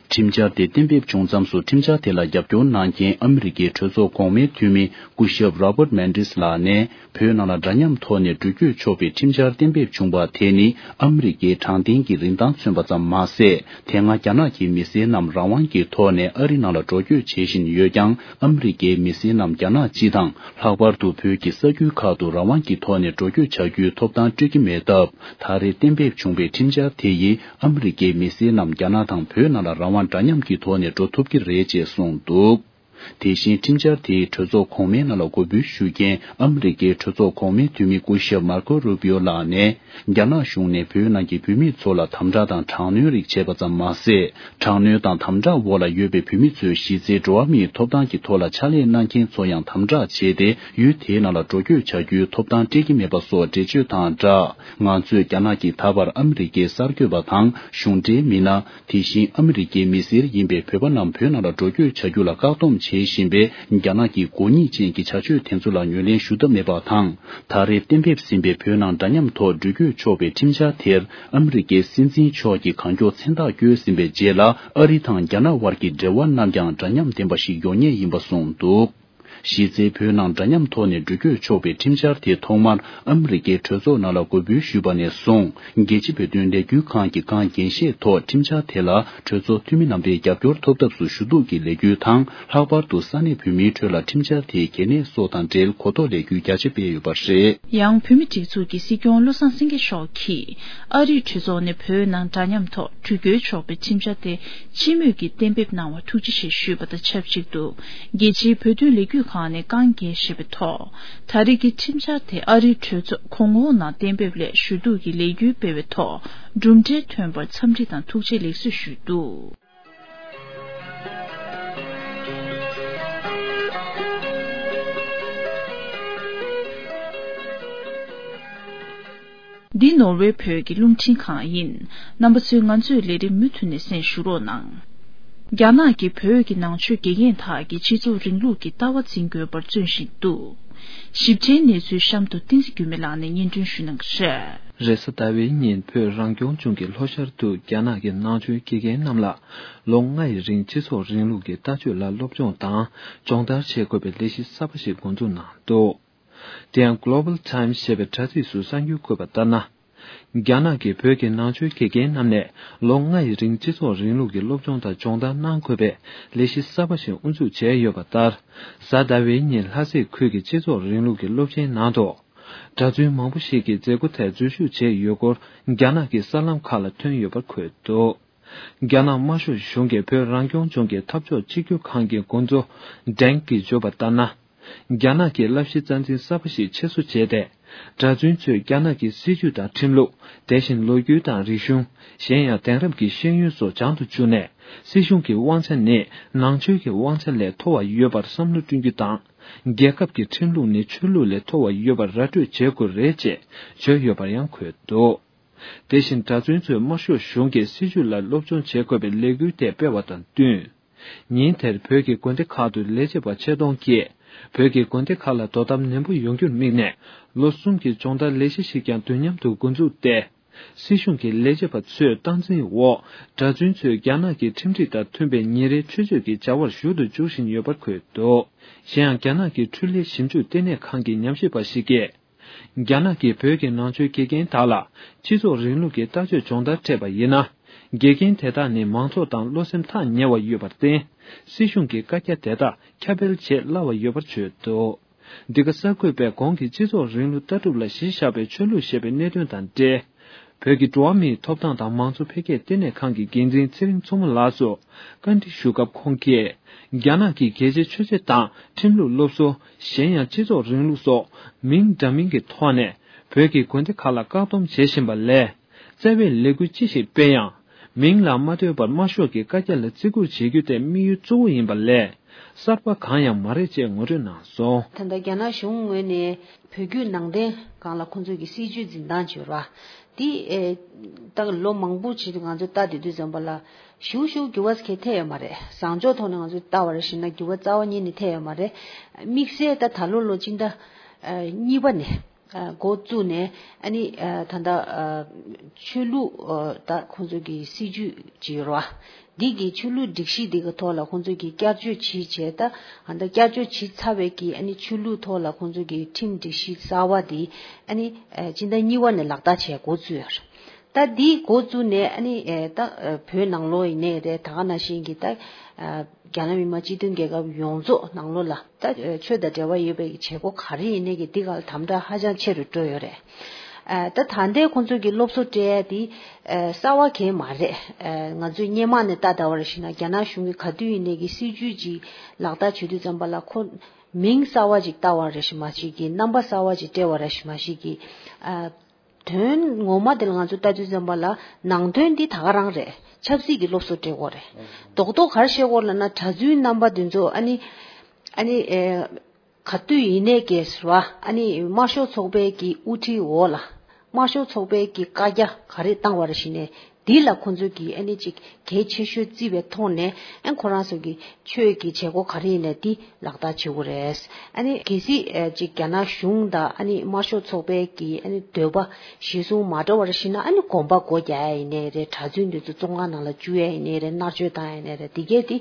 ཁྲིམས་འཆར་དེ་གཏན་འབེབས་བྱུང་མཚམས་སུ་ཁྲིམས་འཆར་དེ་ལ་རྒྱབ་སྐྱོར་གནང་མཁན་ཨ་མི་རི་ཀའི་གྲོས་ཚོགས་གོང་མའི་འཐུས་མི་སྐུ་ཞབས་Robert Mendez ལགས་ནས། བོད་ནང་ལ་འདྲ་མཉམ་ཐོག་ནས་འགྲུལ་སྐྱོད་ཆོག་པའི་ཁྲིམས་འཆར་གཏན་འབེབས་བྱུང་བ་དེ་ནི་ཨ་མི་རི་ཀའི་དྲང་བདེན་གྱི་རིན་ཐང་མཚོན་པ་ཙམ་མ་ཟད། དེ་སྔ་རྒྱ་ནག་གི་མི་སེར་རྣམས་རང་དབང་གི་ཐོག་ནས་ཨ་རི་ནང་ལ་འགྲོ་སྐྱོད་བྱེད་བཞིན་ཡོད་ཀྱང་། ཨ་མི་རི་ཀའི་མི་སེར་རྣམས་རྒྱ་ནག་སྤྱི་དང་། ལྷག་པར་དུ་བོད་ཀྱི་ས་ཁུལ་ཁག་ཏུ་རང་དབང་གི་ཐོག་ནས་འགྲོ་སྐྱོད་བྱ་རྒྱུའི་ཐོབ་ཐང་སྤྲོད་ཀྱི་མེད་སྟབས། ད་རེས་གཏན་འབེབས་བྱུང་བའི་ཁྲིམས་འཆར་དེ་ཡིས་ཨ་མི་རི་ཀའི་མི་སེར་རྣམས་རྒྱ་ནག་དང་བོད་ནང་ལ་རང་དབང་འདྲ་མཉམ་གྱི་ཐོག་ནས་འགྲོ་ཐུབ་ཀྱི་རེད་ཅེས་གསུངས་འདུག། དེ་བཞིན་ཁྲིམས་འཆར་དེའི་གྲོས་ཚོགས་གོང་མའི་ནང་ལ་འགོད་འབུལ་ཞུ་མཁན་ཨ་མི་རི་ཀའི་གྲོས་ཚོགས་གོང་མའི་འཐུས་མི་སྐུ་ཞབས་Marco Rubio ལགས་ནས། རྒྱ་ནག་གཞུང་ནས་བོད་ནང་གི་བོད་མི་ཚོ་ལ་དམ་དྲག་དང་དྲག་གནོན་རིགས་བྱས་པ་ཙམ་མ་ཟད། དྲག་གནོན་དང་དམ་དྲག་འོག་ལ་ཡོད་པའི་བོད་མི་ཚོའི་གཞི་རྩའི་འགྲོ་བ་མིའི་ཐོབ་ཐང་གི་ཐོག་ལ་ཕྱག་ལས་གནང་མཁན་ཚོ་ཡང་དམ་དྲག་བྱས་ཏེ། ཡུལ་དེའི་ནང་ལ་འགྲོ་སྐྱོད་བྱ་རྒྱུའི་ཐོབ་ཐང་སྤྲད་ཀྱི་མེད་པ་སོགས་འགྲེལ་བརྗོད་དང་སྦྲགས། ང་ཚོས་རྒྱ་ནག་གིས་ད་བར་ཨ་མི་རི་ཀའི་གསར་འགོད་པ་དང་གཞུང་འབྲེལ་མི་སྣ། དེ་བཞིན་ཨ་མི་རི་ཀའི་མི་སེར་ཡིན་པའི་བོད་པ་རྣམས་བོད་ནང་ལ་འགྲོ་སྐྱོད་བྱ་རྒྱུ་ལ་བཀག་སྡོམ་བྱས། བཞིན་པའི་རྒྱ་ནག་གི་དགོས་ངེས་ཅན་གྱི་བྱ་སྤྱོད་དེ་ཚོ་ལ་ངོས་ལེན་ཞུ་ཐབས་མེད་པ་དང་། ད་རེས་གཏན་འབེབས་ཟིན་པའི་བོད་ནང་འདྲ་མཉམ་ཐོག་འགྲུལ་སྐྱོད་ཆོག་པའི་ཁྲིམས་འཆར་དེར་ཨ་མི་རི་ཀའི་སྲིད་འཛིན་མཆོག་གིས་གང་མགྱོགས་མཚན་རྟགས་བཀོད་ཟིན་པའི་རྗེས་ལ། ཨ་རི་དང་རྒྱ་ནག་དབར་གྱི་འབྲེལ་བ་རྣམས་ཀྱང་འདྲ་མཉམ་ལྡན་པ་ཞིག་ཡོང་ངེས་ཡིན་པ་གསུངས་འདུག། གཞི་རྩའི་བོད་ནང་འདྲ་མཉམ་ཐོག་ནས་འགྲུལ་སྐྱོད་ཆོག་པའི་ཁྲིམས་འཆར་དེ་ཐོག་མར་ཨ་མི་རི་ཀའི་གྲོས་ཚོགས་ནང་ལ་འགོད་འབུལ་ཞུས་པ་ནས་བཟུང་། རྒྱལ་སྤྱི་བོད་དོན་ལས་འགུལ་ཁང་གི་གང་འགན་བཞེས་ཐོག་ཁྲིམས་འཆར་དེ་ལ་གྲོས་ཚོགས་འཐུས་མི་རྣམ་པའི་རྒྱབ་སྐྱོར་ཐོབ་ཐབས་སུ་ཞུ་གཏུག་གི་ལས་འགུལ་དང་། ལྷག་པར་དུ་ས་གནས་བོད་མིའི་ཁྲོད་ལ་ཁྲིམས་འཆར་དེའི་གལ་གནད་སོགས་དང་འབྲེལ་གོ་རྟོགས་ལས་འགུལ་རྒྱ་ཆེ་སྤེལ་ཡོད་པ་རེད། ཡང་བོད་མི་སྒྲིག་འཛུགས་ཀྱི་སྲིད་སྐྱོང་བློ་བཟང་སེང་གེ་མཆོག་གིས་ཨ་རིའི་གྲོས་ཚོགས་ནས་བོད་ནང་འདྲ་མཉམ་ཐོག་འགྲུལ་སྐྱོད་ཆོག་པའི་ཁྲིམས་འཆར་དེ་སྤྱི་མོས་ཀྱིས་གཏན་འབེབས་གནང་བར་ཐུགས་རྗེ་ཆེ་ཞུས་པ་དང་ཆབས་ཅིག་ཏུ། རྒྱལ་སྤྱིའི་བོད་དོན་ལས་འགུལ་ཁང་ནས་གང་འགན་བཞེས་པའི་ཐོག་ད་རེས་ཀྱི་ཁྲིམས་འཆར་དེ་ཨ་རིའི་གྲོས་ཚོགས་གོང་འོག་ནང་གཏན་འབེབས་སླད་ཞུ་གཏུག་གི་ལས་འགུལ་སྤེལ་བའི་ཐོག་གྲུབ་འབྲས་ཐོན་པར་འཚམས་འདྲི་དང་ཐུགས་རྗེ་ལེགས་གཟིགས་ཞུས་འདུག། འདི་ནོར་ཝེ་བོད་ཀྱི་རླུང་འཕྲིན་ཁང་ཡིན། རྣམ་པ་ཚོས་ང་ཚོའི་ལས་རིམ་མུ་མཐུད་ནས་གསན་ཞུ་རོགས་གནང་། རྒྱ་ནག་གིས་བོད་ཀྱི་ནང་ཆོས་དགེ་རྒན་དག་གིས་སྤྱི་ཚོགས་རིང་ལུགས་ཀྱི་ལྟ་བ་འཛིན་དགོས་པར་བརྩོན་བཞིན་འདུག། ཞིབ་ཕྲའི་གནས་ཚུལ་གཤམ་དུ་བསྟན་འཛིན་འགྱུར་མེད་ལགས་ནས་སྙན་སྒྲོན་ཞུ་གནང་གི་རེད། རེས་གཟའ་ཟླ་བའི་ཉིན་བོད་རང་སྐྱོང་ལྗོངས་ཀྱི་ལྷོ་ཤར་དུ་རྒྱ་ནག་གི་ནང་ཆོས་དགེ་རྒན་རྣམས་ལ་ལོ་ལྔ་ཡི་རིང་སྤྱི་ཚོགས་རིང་ལུགས་ཀྱི་ལྟ་སྤྱོད་ལ་སློབ་སྦྱོང་དང་སྦྱོང་བརྡར་བྱེད་དགོས་པའི་ལས་གཞི་གསར་པ་ཞིག་འགོ་འཛུགས་གནང་འདུག། དེ་ཡང་Global Times ཞེས་པའི་དྲ་ཚིགས་སུ་གསར་འགྱུར་བཀོད་པ་ལྟར་ན། རྒྱ་ནག་གིས་བོད་ཀྱི་ནང་ཆོས་དགེ་རྒན་རྣམས་ནས་ལོ་ལྔ་ཡི་རིང་སྤྱི་ཚོགས་རིང་ལུགས་ཀྱི་སློབ་སྦྱོང་དང་སྦྱོང་བརྡར་གནང་དགོས་པའི་ལས་གཞི་གསར་པ་ཞིག་དབུ་འཛུགས་བྱས་ཡོད་པ་ལྟར། གཟའ་ཟླ་བའི་ཉིན་ལྷ་སའི་ཁུལ་གྱི་སྤྱི་ཚོགས་རིང་ལུགས་ཀྱི་སློབ་ཆེན་ནང་དུ། གྲྭ་བཙུན་མང་པོ་ཞིག་གིས་མཛད་སྒོ་དེར་འཛུལ་ཞུགས་བྱས་ཡོད་སྐོར་རྒྱ་ནག་གི་གསར་ལམ་ཁག་ལ་ཐོན་ཡོད་པར་འཁོད་འདུག། རྒྱ་ནག་དམར་ཤོག་གཞུང་གིས་བོད་རང་སྐྱོང་ལྗོངས་ཀྱི་འཐབ་ཕྱོགས་གཅིག་གྱུར་ཁང་གི་འགོ་གཙོ་ཌེང་གིས་བརྗོད་པ་ལྟར་ན། རྒྱ་ནག་གིས་བསླབ་གཞི་རྩ་འཛིན་གསར་པ་ཞིག་ཆེད་བཟོ་བྱས་ཏེ། གྲྭ་བཙུན་ཚོས་རྒྱ་ནག་གི་སྲིད་ཇུས་དང་ཁྲིམས་ལུགས། དེ་བཞིན་ལོ་རྒྱུས་དང་རིག་གཞུང་། གཞན་ཡང་དེང་རབས་ཀྱི་ཤེས་ཡོན་སོགས་སྦྱང་དུ་བཅུག་ནས། སྲིད་གཞུང་གི་དབང་ཆ་ནི་ནང་ཆོས་ཀྱི་དབང་ཆ་ལས་མཐོ་བ་ཡོད་པར་བསམ་བློ་བསྐྲུན་རྒྱུ་དང་། རྒྱལ་ཁབ་ཀྱི་ཁྲིམས་ལུགས་ནི་ཆོས་ལུགས་ལས་མཐོ་བ་ཡོད་པར་ར་སྤྲོད་བྱེད་དགོས་རེད་ཅེས་བརྗོད་ཡོད་པར་ཡང་འཁོད་འདུག། དེ་བཞིན་གྲྭ་བཙུན་ཚོས་དམར་ཤོག་གཞུང་གི་སྲིད་ཇུས་ལ་སློབ་སྦྱོང་བྱེད་དགོས་པའི་ལས་འགུལ་དེ་སྤེལ་བ་དང་བསྟུན། ཉིན་དེར་བོད་ཀྱི་དགོན་སྡེ་ཁག་ཏུ་ལས་བྱེད་པ་ཆེད་གཏོང་གིས། བོད་ཀྱི་དགོན་སྡེ་ཁག་ལ་དོ་དམ་ནན་པོ་ཡོང་རྒྱུར་དམིགས་ནས། ལོ་གསུམ་གྱི་སྦྱོང་བརྡར་ལས་གཞི་ཞིག་ཀྱང་དུས་མཉམ་དུ་འགོ་འཛུགས་ཏེ། སྲིད་གཞུང་གི་ལས་བྱེད་པ་ཚོས་སྟངས་འཛིན་འོག་གྲྭ་བཙུན་ཚོས་རྒྱ་ནག་གི་ཁྲིམས་སྒྲིག་དང་མཐུན་པའི་ཉིན་རེའི་ཆོས་སྤྱོད་ཀྱི་བྱ་བར་ཞུགས་ཏུ་འཇུག་བཞིན་ཡོད་པར་འཁོད་འདུག། གཞན་ཡང་། རྒྱ་ནག་གི་འཕྲུལ་ལས་ཞིབ་འཇུག་ལྟེ་གནས་ཁང་གི་ཉམས་ཞིབ་པ་ཞིག་གིས། རྒྱ་ནག་གིས་བོད་ཀྱི་ནང་ཆོས་དགེ་རྒན་དག་ལ་སྤྱི་ཚོགས་རིང་ལུགས་ཀྱི་ལྟ་སྤྱོད་སྦྱོང་བརྡར་སྤྲད་པ་ཡིན་ན། དགེ་རྒན་དེ་དག་ནི་མང་ཚོགས་དང་བློ་སེམས་ཐག་ཉེ་བ་ཡོད་པར་བརྟེན། སྲིད་གཞུང་གི་བཀའ་རྒྱ་དེ་དག་ཁྱབ་སྤེལ་བྱེད་སླ་བ་ཡོད་པར་བརྗོད་འདུག། འདི་ག་གསར་འགོད་པས་གོང་གི་སྤྱི་ཚོགས་རིང་ལུགས་ལྟ་གྲུབ་ལ་གཞི་བཞག་པའི་ཆོས་ལུགས་ཞེས་པའི་གནད་དོན་དང་འབྲེལ། བོད་ཀྱི་འགྲོ་བ་མིའི་ཐོབ་ཐང་དང་མང་གཙོ་འཕེལ་རྒྱས་ལྟེ་གནས་ཁང་གི་འགན་འཛིན་ཚེ་རིང་མཚོ་མོ་ལགས་སུ་བཀའ་འདྲི་ཞུ་སྐབས་ཁོང་གིས། རྒྱ་ནག་གིས་རྒྱལ་སྤྱིའི་ཆོས་བྱེད་དང་ཁྲིམས་ལུགས་སློབ་གསོ། གཞན་ཡང་སྤྱི་ཚོགས་རིང་ལུགས་སོགས་མིང་འདྲ་མིན་གྱི་ཐོག་ནས་བོད་ཀྱི་དགོན་སྡེ་ཁག་ལ་བཀག་སྡོམ་བྱེད་བཞིན་པ་ལས། རྩ་བའི་ལས་འགུལ་ཅི་ཞིག་སྤེལ་ཡང་། མིང་ལ་མ་ལྟོས་པར་དམར་ཤོག་གི་བཀའ་རྒྱ་ལ་བརྩི་བཀུར་བྱེད་རྒྱུ་དེ་དམིགས་ཡུལ་གཙོ་བོ་ཡིན་པ་ལས། གསར་པ་གང་ཡང་མ་རེད་ཅེས་ངོ་སྤྲོད་གནང་སོང་། ད་ལྟ་རྒྱ་ནག་གཞུང་ངོས་ནས་བོད་བརྒྱུད་ནང་བསྟན་སྒང་ལ་ཁོང་ཚོ་གི་སྲིད་བྱུས་འཛིན་སྟངས་བྱོས་ར། འདི་ཨེ། ད་ལོ་མང་པོ་ཅིག་ང་ཚོ་ལྟ་བསྡད་དུས་ཙམ་པ་ལ་ཞུ་ཞུ་འགྱུར་བ་གལ་ཐེབས་ཡོད་མ་རེད། བཟང་ཕྱོགས་ཐོག་ནས་ང་ཚོ་ལྟ་བ་རེད་ཞེ་ན་འགྱུར་བ་རྩ་བ་ཉིད་ནས་ཐེབས་ཡོད་མ་རེད། དམིགས་བསལ་ད་ད་ལོ་ལོ་སྤྱི་ཟླ་གཉིས་པ་ནས། འགོ་བཙུགས་ནས་ཨ་ནི་ད་ལྟ་ཆོས་ལུགས་ད་ཁོང་ཚོ་གི་སྲིད་བྱུས་ཅིག་ཡོད་རེད་བ། འདི་གི་ཆོས་ལུགས་སྒྲིག་གཞི་འདི་གི་ཐོག་ལ་ཁོང་ཚོ་གི་བསྐྱར་བཅོས་བྱས་བྱས་ད་ད་བསྐྱར་བཅོས་བྱས་ཚར་བའི་གི་ཨ་ནི་ཆོས་ལུགས་ཐོག་ལ་ཁོང་ཚོ་གི་ཁྲིམས་སྒྲིག་གཞི་གསར་བ་འདི་ཨ་ནི་སྤྱི་ཟླ་གཉིས་པ་ནས་ལག་བསྟར་བྱས་འགོ་བཙུགས་ཡོད་རེད། ད་འདི་འགོ་བཙུགས་ནས་ཨ་ནི་ད་བོད་ནང་ལོགས་ཡིན་ནའི་རེད། ད་ག་ནང་བཞིན་གི་ད། རྒྱ་ནག་མི་དམངས་སྤྱི་མཐུན་རྒྱལ་ཁབ་ཡོངས་རྫོགས་ནང་ལོགས་ལ་ད་ཆོས་དང་འབྲེལ་བ་ཡོད་པའི་བྱེད་སྒོ་ག་རེ་ཡིན་ནའི་གི་འདི་ག་ལ་དམ་དྲག་ཧ་ཅང་ཆེ་རུ་འགྲོ་ཡོད་རེད། ད་ད་ལྟའི་ཁོང་ཚོ་གི་སློབ་གསོ་སྤྲད་ཡ་དེ་གསར་བ་གང་མ་རེད། ང་ཚོས་སྔོན་མ་ནས་ལྟ་ལྟ་བ་རེད་ཞེ་ན་རྒྱ་ནག་གཞུང་གི་ག་དུས་ཡིན་ནའི་གི་སྲིད་བྱུས་ཅིག་ལག་བསྟར་བྱེད་དུས་ཙམ་པ་ལ་ཁོ་མིང་གསར་བ་ཅིག་བཏགས་པ་རེད་ཞེ་མ་ཞིག་གི་རྣམ་པ་གསར་བ་ཅིག་སྤྲད་པ་རེད་ཞེ་མ་ཞིག་གི། དོན་ངོ་མ་དེ་ལ་ང་ཚོ་ལྟ་དུས་ཙམ་པ་ལ་ནང་དོན་འདི་ད་ག་རང་རེད། ཆབ་སྲིད་ཀྱི་སློབ་གསོ་སྤྲད་དགོས་རེད། རྡོག་རྡོག་ག་རེ་བཤད་དགོས་ལབ་ན་གྲྭ་བཙུན་རྣམ་པ་འདི་ཚོ་ཨ་ནི་ཨ་ནི་ཨེ་ག་དུས་ཡིན་ནའི་གས་ར་ཨ་ནི་དམར་ཤོག་ཚོགས་པའི་གི་དབུ་ཁྲིད་འོག་ལ་ དམར་ཤོག་ཚོགས་པའི་གི་བཀའ་རྒྱ་ག་རེ་བཏང་བ་རེད་ཞེ་ན། འདི་ལ་ཁོང་ཚོས་ཀྱི་ཨ་ནི་ཅིག་གལ་ཆེ་ཤོས་བརྩིས་པའི་ཐོག་ནས་ཨ་ཁོ་རང་ཚོ་གི་ཆོས་ཀྱི་བྱེད་སྒོ་ག་རེ་ཡིན་ནའི་འདི་ལག་བསྟར་བྱེད་དགོས་རེད། ཨ་ནི་གལ་སྲིད་ཨ་ཅིག་རྒྱ་ནག་གཞུང་དང་ཨ་ནི་དམར་ཤོག་ཚོགས་པའི་གི་ཨ་ནི་འདོད་པ་གཞིར་བཟུང་མ་འགྲོ་བ་རེད་ཞེ་ན། ཨ་ནི་དགོན་པ་སྒོ་རྒྱག་ཡ་ཡིན་ནའི་རེད། གྲྭ་བཙུན་འདི་ཚོ་བཙོན་ཁང་ནང་ལ་བཅུག་ཡ་ཡིན་ནའི་རེད། མནར་གཅོད་བཏང་ཡ་ཡིན་ནའི་རེད། འདི་གས་འདི་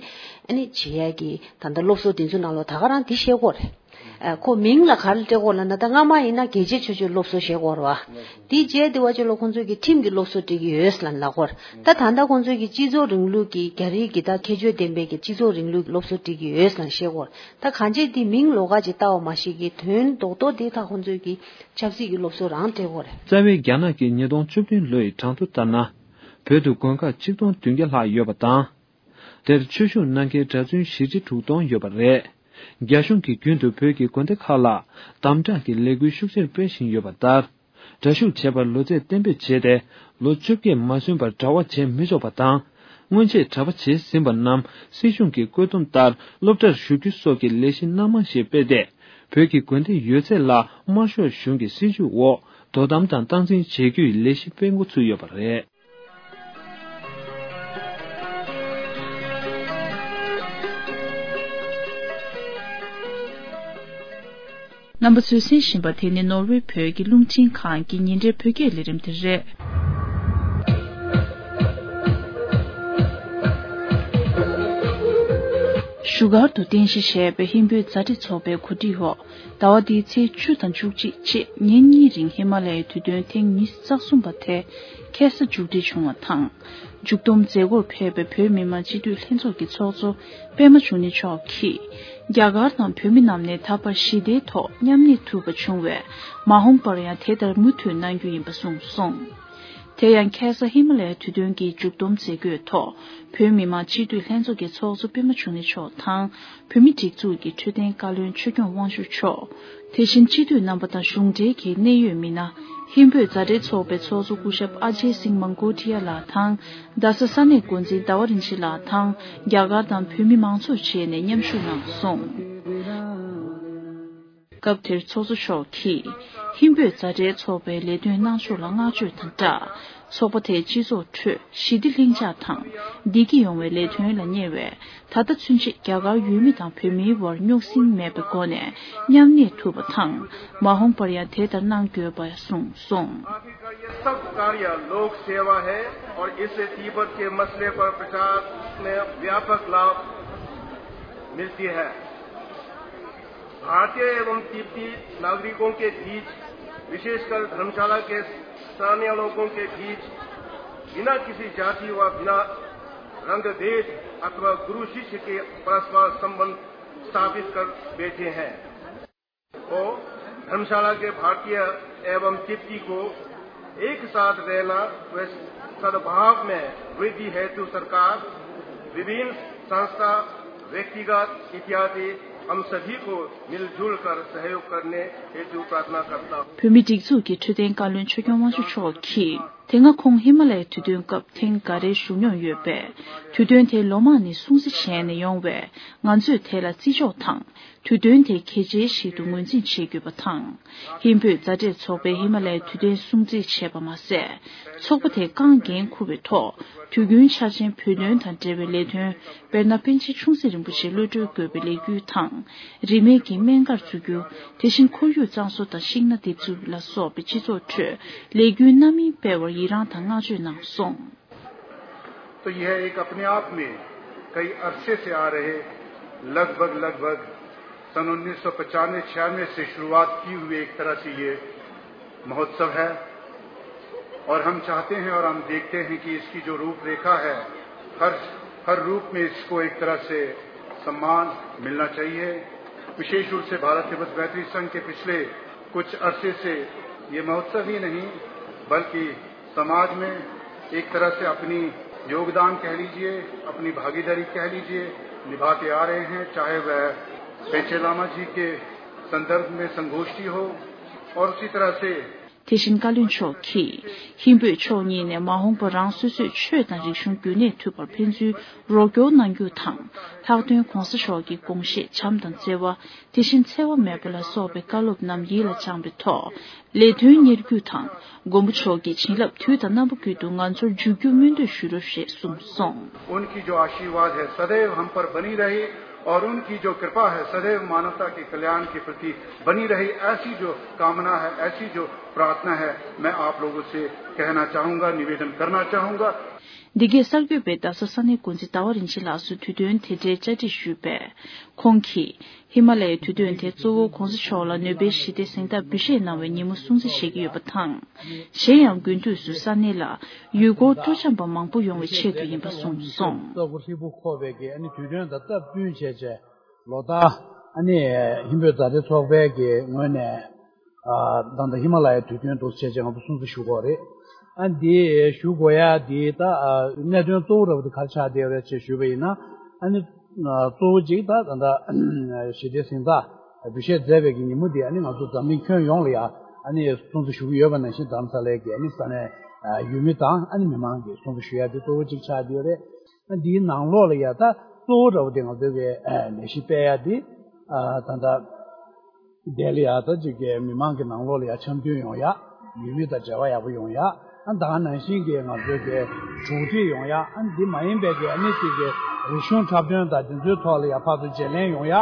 ཨ་ནི་བྱེད་ཡ་གི་ད་ལྟ་སློབ་གསོ་འདི་ཚོ་ནང་ལོགས་ད་ག་རང་འདི་བཤད་དགོས་རེད། ཨ་ཁོ་མིང་ལ་ག་རེ་སྤྲད་དགོས་ལབ་ན། ད་སྔ་མ་ཡིན་ན་རྒྱལ་གཅེས་ཆོས་སྤྱོད་སློབ་གསོ་བྱེད་དགོས་རེད་བ། དེའི་རྗེས་དེ་བ་ཅོ་ལོ་ཁོང་ཚོས་ཀྱི་ཁྲིམས་ཀྱི་སློབ་གསོ་སྤྲད་ཀྱི་ཡོད་ལབ་ལབ་དགོས་རེད། ད་ད་ལྟ་ཁོང་ཚོས་ཀྱི་སྤྱི་ཚོགས་རིང་ལུགས་ཀྱི་རྒྱ་རིགས་ཀྱི་ད་ཁྱད་ཆོས་ལྡན་པའི་གི་སྤྱི་ཚོགས་རིང་ལུགས་སློབ་གསོ་སྤྲད་ཀྱི་ཡོད་ལབ་བཤད་དགོས་རེད། ད་གང་ཅི་དེ་མིང་ལོགས་ཀ་ཅིག་བཏགས་པ་མ་གཞི་གི་དོན་རྡོག་རྡོག་དེ་ད་ཁོང་ཚོས་ཀྱི་ཆབ་སྲིད་ཀྱི་སློབ་གསོ་རང་སྤྲད་དགོས་རེད། རྩ་བའི་རྒྱ་ནག་གི་ཉིས་སྟོང་བཅུ་བདུན་ལོའི་གྲངས་ཐོ་ལྟར་ན། བོད་དུ་དགོན་ཁག་ཆིག་སྟོང་བདུན་བརྒྱ་ལྷག་ཡོད་པ་དང་། དེར་ཆོས་ཞུགས་གནང་མཁན་གྲྭ་བཙུན་བཞི་ཁྲི་དྲུག་སྟོང་ཡོད་པ་རེད། རྒྱ་གཞུང་གིས་རྒྱུན་དུ་བོད་ཀྱི་དགོན་སྡེ་ཁག་ལ་དམ་དྲག་གི་ལས་འགུལ་ཤུགས་ཆེར་སྤེལ་བཞིན་ཡོད་པ་ལྟར། གྲྭ་ཞུགས་བྱས་པར་ལོ་ཚད་གཏན་འབེབས་བྱས་ཏེ། ལོ་བཅོ་བརྒྱད་མ་སོན་པར་གྲྭ་པ་བྱེད་མི་ཆོག་པ་དང་། སྔོན་ཆད་གྲྭ་པ་བྱས་ཟིན་པ་རྣམས་སྲིད་གཞུང་གི་བཀོད་འདོམས་ལྟར་སློབ་གྲྭར་ཞུགས་རྒྱུ་སོགས་ཀྱི་ལས་གཞི་སྣ་མང་ཞིག་སྤེལ་ཏེ། བོད་ཀྱི་དགོན་སྡེ་ཡོད་ཚད་ལ་དམར་ཤོག་གཞུང་གི་སྲིད་བྱུས་འོག་དོ་དམ་དང་སྟངས་འཛིན་བྱེད་རྒྱུའི་ལས་གཞི་སྤེལ་འགོ་ཚུགས་ཡོད་པ་རེད། རྣམ་པ་ཚོས་གསན་བཞིན་པ་དེ་ནི་ནོར་ཝེ་བོད་ཀྱི་རླུང་འཕྲིན་ཁང་གི་ཉིན་རེའི་བོད་སྐད་ལས་རིམ་དེ་རེད། བཞུགས་སྒར་དུ་རྟེན་གཞི་བྱས་པའི་ཧིན་བོད་མཛའ་འབྲེལ་ཚོགས་པའི་གོ་སྒྲིག་འོག་ཟླ་བ་འདིའི་ཚེས་བཅུ་དང་བཅུ་གཅིག་བཅས་ཉིན་གཉིས་རིང་ཧི་མ་ལ་ཡའི་དུས་སྟོན་ཐེངས་ཉི་ཤུ་རྩ་གསུམ་པ་དེ་ཁ་སང་མཇུག་སྒྲིལ་བྱུང་བ་དང་། མཇུག་བསྡོམས་མཛད་སྒོར་ཕེབས་པའི་བོད་མི་མང་སྤྱི་འཐུས་ལྷན་ཚོགས་ཀྱི་ཚོགས་གཙོ་པད་མ་འབྱུང་གནས་མཆོག་གིས། རྒྱ་གར་དང་བོད་མི་རྣམས་ནས་ད་བར་ཞི་བདེའི་ཐོག་མཉམ་གནས་ཐུབ་པ་བྱུང་བས། མ་འོངས་པར་ཡང་དེ་ལྟར་མུ་མཐུད་གནང་རྒྱུ་ཡིན་པ་གསུངས་སོང་། དེ་ཡང་ཁ་སང་ཧི་མ་ལ་ཡའི་དུས་སྟོན་གྱི་མཇུག་བསྡོམས་མཛད་སྒོའི་ཐོག་བོད་མི་མང་སྤྱི་འཐུས་ལྷན་ཚོགས་ཀྱི་ཚོགས་གཙོ་པད་མ་འབྱུང་གནས་མཆོག་དང་། བོད་མིའི་སྒྲིག་འཛུགས་ཀྱི་འཕྲོད་བསྟེན་བཀའ་བློན་ཆོས་སྐྱོང་དབང་ཕྱུག་མཆོག་དེ་བཞིན་སྤྱི་འཐུས་རྣམ་པ་དང་གཞུང་འབྲེལ་གྱི་གནད་ཡོད་མི་སྣ། ཧིན་བོད་མཛའ་འབྲེལ་ཚོགས་པའི་ཚོགས་གཙོ་སྐུ་ཞབས་ཨ་ཇེ་སིང་མང་གོ་ཏི་ཡ་ལགས་དང་། རྡ་ས་ས་གནས་འགོ་འཛིན་ཟླ་བ་རིན་ཆེན་ལགས་དང་། རྒྱ་གར་དང་བོད་མི་མང་ཚོགས་བཅས་ནས་མཉམ་ཞུགས་གནང་སོང་། སྐབས་དེར་ཚོགས་གཙོ་མཆོག་གིས། ཧིན་བོད་མཛའ་འབྲེལ་ཚོགས་པའི་ལས་དོན་གནང་ཕྱོགས་ལ་བསྔགས་བརྗོད་དང་སྦྲགས། ཚོགས་པ་དེས་སྤྱི་ཚོགས་ཁྲོད་ཞི་བདེ་ལྷིང་འཇགས་དང་བདེ་སྐྱིད་ཡོང་བའི་ལས་དོན་ལ་གཉེར་བའི་ད་ལྟ་ཚུན་ཆད་རྒྱ་གར་ཡུལ་མི་དང་བོད་མིའི་བར་རྙོག་ཟིང་མེད་པའི་སྒོ་ནས་མཉམ་གནས་ཐུབ་པ་དང་། མ་འོངས་པར་ཡང་དེ་ལྟར་གནང་དགོས་པ་གསུངས་སོང་། आखिर का ये सब कार्य लोक सेवा है और इससे तिब्बत के मसले पर प्रचार में व्यापक लाभ मिलती है। भारतीय एवं तिब्बती नागरिकों के बीच, विशेषकर धर्मशाला के स्थानीय लोगों के बीच, बिना किसी जाति व बिना रंग भेद अथवा गुरु शिष्य के परस्पर संबंध स्थापित कर बैठे हैं। तो धर्मशाला के भारतीय एवं तिब्बती को एक साथ रहना व सद्भाव में वृद्धि हेतु सरकार, विभिन्न संस्था, व्यक्तिगत इत्यादि हम सभी को मिलजुल कर सहयोग करने हेतु प्रार्थना करता हूँ। བོད་མིའི་སྒྲིག་འཛུགས་ཀྱི་འཕྲོད་བསྟེན་བཀའ་བློན་ཆོས་སྐྱོང་དབང་ཕྱུག་མཆོག་གིས། དེ་སྔ་ཁོང་ཧི་མ་ལ་ཡའི་དུས་སྟོན་སྐབས་ཐེངས་འགའ་རེ་ཞུགས་མྱོང་ཡོད་པས། དུས་སྟོན་དེ་ལོ་མང་ནས་སྲུང་བརྩི་བྱས་ནས་ཡོང་བས། ང་ཚོས་དེ་ལ་བརྩི་འཇོག་དང་། དུས་སྟོན་དེ་གལ་ཆེའི་ཞིག་ཏུ་ངོས་འཛིན་བྱེད་དགོས་པ་དང་། ཧིན་བོད་མཛའ་འབྲེལ་ཚོགས་པས་ཧི་མ་ལ་ཡའི་དུས་སྟོན་སྲུང་བརྩི་བྱས་པ་མ་ཟད། ཚོགས་པ་དེས་རྐང་འགན་འཁུར་བའི་ཐོག་དུས་རྒྱུན་འཆར་ཅན་བོད་དོན་དང་འབྲེལ་བའི་ལས་དོན། དཔེར་ན། པཎ་ཆེན་ཆུང་སྲིད་རིན་པོ་ཆེ་གློད་གྲོལ་དགོས་པའི་ལས་འགུལ་དང་། རིན་མེད་ཀྱི་སྨན་སྒར་འཛུགས་རྒྱུ། དེ་བཞིན་ཁོར་ཡུག་གཙང་བཟོ་དང་ཤིང་སྣ་འདེབས་འཛུགས་ལ་སོགས་པའི་སྤྱི་ཚོགས་ཁྲོད་ལས་འགུལ་སྣ་མིན་སྤེལ་བར་ཡི་རངས་དང་བསྔགས་བརྗོད་གནང་སོང་། तो यह एक अपने आप में कई अरसे से आ रहे, लगभग, लगभग सन उन्नीस सौ पचानवे छियानवे से शुरुआत की हुई एक तरह से ये महोत्सव है और हम चाहते हैं और हम देखते हैं कि इसकी जो रूपरेखा है, हर, हर रूप में इसको एक तरह से सम्मान मिलना चाहिए। विशेष रूप से भारत तिब्बत मैत्री संघ के पिछले कुछ अरसे से ये महोत्सव ही नहीं, बल्कि समाज में एक तरह से अपनी योगदान कह लीजिए, अपनी भागीदारी कह लीजिए, निभाते आ रहे हैं, चाहे वह पेंचे लामा जी के संदर्भ में संगोष्ठी हो और उसी तरह से དེ་བཞིན་བཀའ་བློན་མཆོག་གིས་ཧིན་བོད་ཕྱོགས་གཉིས་ནས་མ་འོངས་པར་རང་སོ་སོའི་ཆོས་དང་རིག་གཞུང་རྒྱུན་གནས་ཐུབ་པར་ཕན་ཚུན་རོགས་སྐྱོར་གནང་རྒྱུ་དང་། ལྷག་དོན་༸གོང་ས་མཆོག་གི་དགོངས་བཞེད་བྱམས་དང་བརྩེ་བ། དེ་བཞིན་འཚེ་བ་མེད་པ་ལ་སོགས་པའི་བཀའ་སློབ་རྣམས་ཡིད་ལ་བཅངས་པའི་ཐོག་ལས་དོན་གཉེར་རྒྱུ་དང་། མགོན་པོ་མཆོག་གི་བྱིན་རླབས་དུས་དང་རྣམ་པ་ཀུན་ཏུ་ང་ཚོར་འཇུག་རྒྱུ་སྨོན་འདུན་ཞུ་རོགས་ཞེས་གསུངས་སོང་། उनकी जो आशीर्वाद है सदैव हम पर बनी रहे और उनकी जो कृपा है सदैव मानवता के कल्याण के प्रति बनी रहे, ऐसी जो कामना है, ऐसी जो प्रार्थना है, मैं आप लोगों से कहना चाहूँगा, निवेदन करना चाहूँगा। འདི་གའི་གསར་འགོད་པས་རྡ་ས་ས་གནས་འགོ་འཛིན་ཟླ་བ་རིན་ཆེན་ལགས་སུ་དུས་སྟོན་དེ་འབྲེལ་བཅར་འདྲི་ཞུས་པས། ཁོང་གིས་ཧི་མ་ལ་ཡའི་དུས་སྟོན་དེ་གཙོ་བོ་༸གོང་ས་མཆོག་ལ་ནོ་བེལ་ཞི་བདེ་གཟེངས་རྟགས་འབུལ་བཞེས་གནང་བའི་ཉིན་མོ་སྲུང་བརྩི་བྱེད་ཀྱི་ཡོད་པ་དང་། གཞན་ཡང་དགུན་དུས་སུ་ས་གནས་ལ་ཡུལ་སྐོར་སྤྲོ་འཆམ་པ་མང་པོ་ཡོང་བའི་ཆེད་དུ་ཡིན་པ་གསུངས་སོང་། ས་ཁུག་ཧྲིལ་པོ་མཁོ་བའི་གི་ཨ་ནི་དུས་སྟོན་དང་སྟབས་བསྟུན་བྱས་བྱས་ལོ་ལྟར་ཨ་ནི་ཧིན་བོད་མཛའ་འབྲེལ་ཚོགས་པའི་གི་ངོས་ནས། ཨ་ད་ལྟ་ཧི་མ་ལ་ཡའི་དུས་སྟོན་འདུག་བྱས་བྱས་ང་ཚོ་སྲུང་བརྩི་ཞུ་དགོས་རེད། ཨ་འདི་ཞུ་དགོས་ཡ་འདི་ད་ཨ་གནད་དོན་གཙོ་བོ་འདྲ་བོ་དེ་ག་རེ་ཆགས་བསྡད་ཡོད་རེད་ཅེས་ཞུས་པ་ཡིན་ན། ཨ་ནི་ཨ་གཙོ་བོ་གཅིག་ད་ད་ལྟ་ཞི་བདེ་གཟེངས་རྟགས་འབུལ་བཞེས་མཛད་པའི་གི་ཉིན་མོ་འདི་ཨ་ནི་ང་ཚོ་འཛམ་གླིང་ཁྱོན་ཡོངས་ལ་ཡ་ཨ་ནི་སྲུང་བརྩི་ཞུ་གི་ཡོད་པ་ནང་བཞིན་རྡ་རམ་ས་ལའི་གི་ཨ་ནི་ས་གནས་ཨ་ཡུལ་མི་དང་ཨ་ནི་མི་མང་གིས་སྲུང་བརྩི་ཞུ་ཡ་འདི་གཙོ་བོ་གཅིག་ཆགས་བསྡད་ཡོད་རེད། ཨ་འདིའི་ནང་ལོགས་ལ་ཡ་ད་གཙོ་བོ་འདྲ་བོ་དེ་ང་ཚོའི་གི་ཨ་ལས་གཞི་སྤེལ་ཡ་འདི་ཨ་ད་ལྟ། དེ་ལ་ཡ་ད་ཅིག་གི་མི་མང་གི་ནང་ལོགས་ལ་ཡ་འཆམ་མཐུན་ཡོང་ཡ། ཡུལ་མི་དང་འབྲེལ་བ་ཡག་པོ་ཡོང་ཡ། ཨ་ད་ག་ནང་བཞིན་གྱི་ང་ཚོའི་གི་གྲོགས་འདྲིས་ཡོང་ཡ། ཨ་འདི་མ་ཡིན་པའི་གི་ཨ་ནི་ཅིག་གི་རིག་གཞུང་འཁྲབ་སྟོན་དང་དེ་ཚོའི་ཐོག་ལ་ཡ་ཕར་ཚུར་བརྗེ་ལེན་ཡོང་ཡ།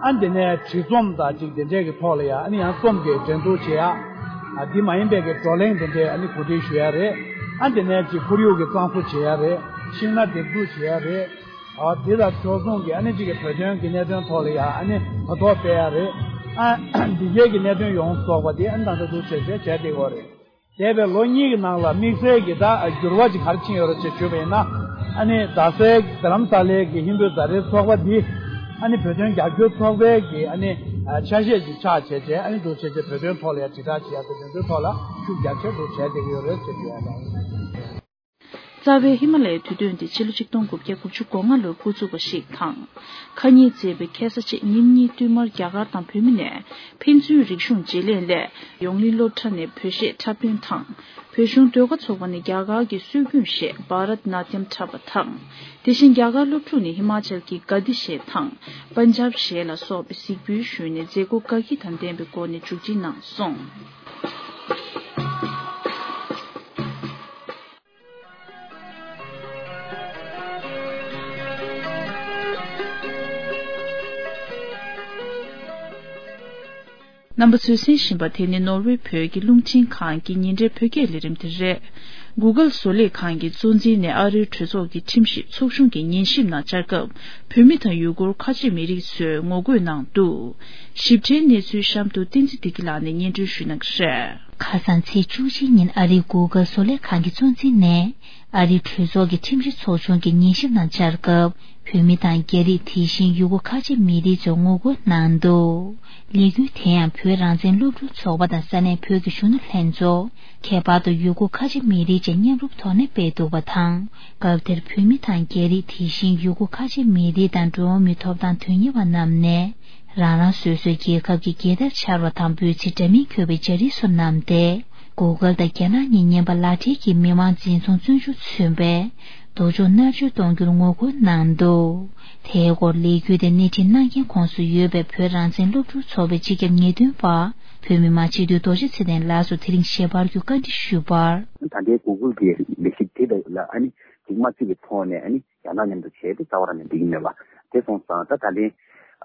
ཨ་འདི་ནས་བྲིས་རྩོམ་དང་ཅིག་དེ་འདྲས་ཀྱི་ཐོག་ལ་ཡ་ཨ་ནི་ཡང་རྩོམ་གྱི་འགྲན་བསྡུར་བྱེད་ཡ། ཨ་འདི་མ་ཡིན་པའི་གི་བགྲོ་གླེང་དེ་འདྲས་ཨ་ནི་གོ་སྒྲིག་ཞུ་ཡ་རེད། ཨ་འདི་ནས་ཅིག་ཁོར་ཡུག་གི་གཙང་བཟོ་བྱེད་ཡ་རེད། ཤིང་ནགས་འདེབས་འཛུགས་བྱེད་ཡ་རེད། ཨ་དེ་དང་ཕྱོགས་མཚུངས་ཀྱི་ཨ་ནི་གཅིག་གི་བོད་དོན་གྱི་གནད་དོན་ཐོག་ལ་ཡང་ཨ་ནི་གོ་རྟོགས་སྤེལ་ཡ་རེད། ཨ་འདི་གའི་གི་གནད་དོན་ཡོངས་སུ་རྫོགས་པ་དེ་ཨ་ནི་ད་ལྟ་འདུག་བྱས་བྱས་བྱས་བསྡད་ཡོད་རེད། འདས་པའི་ལོ་གཉིས་ཀྱི་ནང་ལ་དམིགས་བསལ་གྱི་ད་འགྱུར་བ་ཅིག་ག་རེ་ཕྱིན་ཡོད་རེད་ཅེས་ཞུས་པ་ཡིན་ན། ཨ་ནི་རྡ་སའི་རྡ་རམ་ས་ལའི་གི་ཧིན་བོད་མཛའ་འབྲེལ་ཚོགས་པ་འདི་ཨ་ནི་བོད་དོན་རྒྱབ་སྐྱོར་ཚོགས་པའི་གི་ཨ་ནི་ཆ་ཤས་ཅིག་ཆགས་བྱས་བྱས་ཨ་ནི་འདུག་བྱས་བྱས་བོད་དོན་ཐོག་ལ་ཡང་དྲིལ་བསྒྲགས་བྱེད་ཡ་དང་དེ་ཚོའི་ཐོག་ལ་ཤུགས་རྒྱག་ཆེད་འདུག་བྱས་བསྡད་ཀྱི་ཡོད་རེད་ཅེས་ཞུ་ཡ་དང་། རྩ་བའི་ཧི་མ་ལ་ཡའི་དུས་སྟོན་དེ་ཕྱི་ལོ་ཆིག་སྟོང་དགུ་བརྒྱ་དགུ་བཅུ་གོ་ལྔ་ལོར་འགོ་བཙུགས་པ་ཞིག་དང་། ཁ་ཉིན་བརྩིས་པའི་ཁ་ས་ཕྱེད་ཉིན་གཉིས་བསྟུད་མར་རྒྱ་གར་དང་བོད་མི་ནས་ཕན་ཚུན་རིག་གཞུང་བརྗེ་ལེན་སླད་ཡོངས་གླིང་སློབ་གྲྭ་ནས་བོད་གཞས་འཁྲབ་སྟོན་དང་། བོད་གཞུང་ཟློས་གར་ཚོགས་པ་ནས་རྒྱ་གར་གྱི་སྲོལ་རྒྱུན་གཞས་བྷ་རཏ་ནཱ་ཏྱམ་འཁྲབ་པ་དང་། དེ་བཞིན་རྒྱ་གར་སློབ་ཕྲུག་ནས་ཧི་མ་ཅལ་གྱི་ག་དི་གཞས་དང་པན་ཇབ་གཞས་ལ་སོགས་པའི་གཟིགས་འབུལ་ཞུས་ནས་མཛད་སྒོ་དགའ་སྐྱིད་དང་ལྡན་པའི་སྒོ་ནས་མཇུག་སྒྲིལ་གནང་སོང་། རྣམ་པ་ཚོས་གསན་བཞིན་པ་དེ་ནི་ནོར་ཝེ་བོད་ཀྱི་རླུང་འཕྲིན་ཁང་གི་ཉིན་རེའི་བོད་སྐད་ལས་རིམ་དེ་རེད། Google་བཟོ་ལས་ཁང་གི་གཙོ་འཛིན་ནས་ཨ་རིའི་གྲོས་ཚོགས་ཀྱི་ཁྲིམས་ཞིབ་ཚོགས་ཆུང་གི་ཉན་ཞིབ་ནང་བཅར་སྐབས་བོད་མི་དང་ཡུ་གུར་ཁ་ཆེ་མི་རིགས་ཚོས་ངོ་རྒོལ་གནང་འདུག་ཞིབ་ཕྲའི་གནས་ཚུལ་གཤམ་དུ་བསྟན་འཛིན་བདེ་སྐྱིད་ལགས་ནས་སྙན་སྒྲོན་ཞུ་གནང་གི་རེད། ཁ་སང་ཚེས་བཅུ་གཅིག་ཉིན་ཨ་རིའི་Google་བཟོ་ལས་ཁང་གི་གཙོ་འཛིན་ནས་ཨ་རིའི་གྲོས་ཚོགས་ཀྱི་ཁྲིམས་ཞིབ་ཚོགས་ཆུང་གི་ཉན་ཞིབ་ནང་བཅར་སྐབས་བོད་མི་དང་རྒྱ་རིགས་དེ་བཞིན་ཡུ་གུར་ཁ་ཆེ་མི་རིགས་ཚོས་ངོ་རྒོལ་གནང་འདུག་ལས་འགུལ་དེ་ཡང་བོད་རང་བཙན་སློབ་ཕྲུག་ཚོགས་པ་དང་ས་གནས་བོད་ཀྱི་གཞོན་ནུ་ལྷན་ཚོགས་ཁྱད་པར་དུ་ཡུ་གུར་ཁ་ཆེ་མི་རིགས་བཅས་མཉམ་རུབ་ཐོག་ནས་སྤེལ་འདུག་པ་དང་། སྐབས་དེར་བོད་མི་དང་རྒྱ་རིགས་དེ་བཞིན་ཡུ་གུར་ཁ་ཆེ་མི་རིགས་དང་འགྲོ་བ་མིའི་ཐོབ་ཐང་དོན་གཉེར་བ་རྣམས་ནས། རང་རང་སོ་སོའི་རྒྱལ་ཁབ་ཀྱི་རྒྱལ་དར་འཕྱར་བ་དང་འབོད་ཚིག་འདྲ་མིན་འཁོད་པའི་འཇའ་རིས་སོགས་བསྣམས་ཏེ། Google་དང་རྒྱ་ནག་གཉིས་མཉམ་པ་ལག་སྦྲེལ་གྱིས་མི་དམངས་འཛིན་བཟུང་བཙོན་འཇུག་མཚོན་པའི་ལྡོག་ཕྱོགས་མནར་གཅོད་གཏོང་རྒྱུར་ངོ་རྒོལ་གནང་འདུག་དེའི་སྐོར་ལས་འགུལ་དེ་སྣེ་ཁྲིད་གནང་མཁན་ཁོངས་སུ་ཡོད་པའི་བོད་རང་བཙན་སློབ་ཕྲུག་ཚོགས་པའི་སྤྱི་ཁྱབ་ངེས་སྟོན་པ་བོད་མི་མང་སྤྱི་འཐུས་རྡོ་རྗེ་ཚེ་བརྟན་ལགས་སུ་དེ་རིང་ཞལ་པར་བརྒྱུད་བཀའ་འདྲི་ཞུས་པར། ད་ལྟའི་Google་གི་ལས་གཞི་དེ་ལ་ཨ་ནི་གཅིག་མ་བརྩིས་པའི་ཐོག་ནས་ཨ་ནི། རྒྱ་ནག་མཉམ་དུ་བྱས་ཏེ་རྩ་བ་རང་ནས་འགྲིག་གི་མེད་པ། དེ་སོང་ཙང་ད་ད་ལན་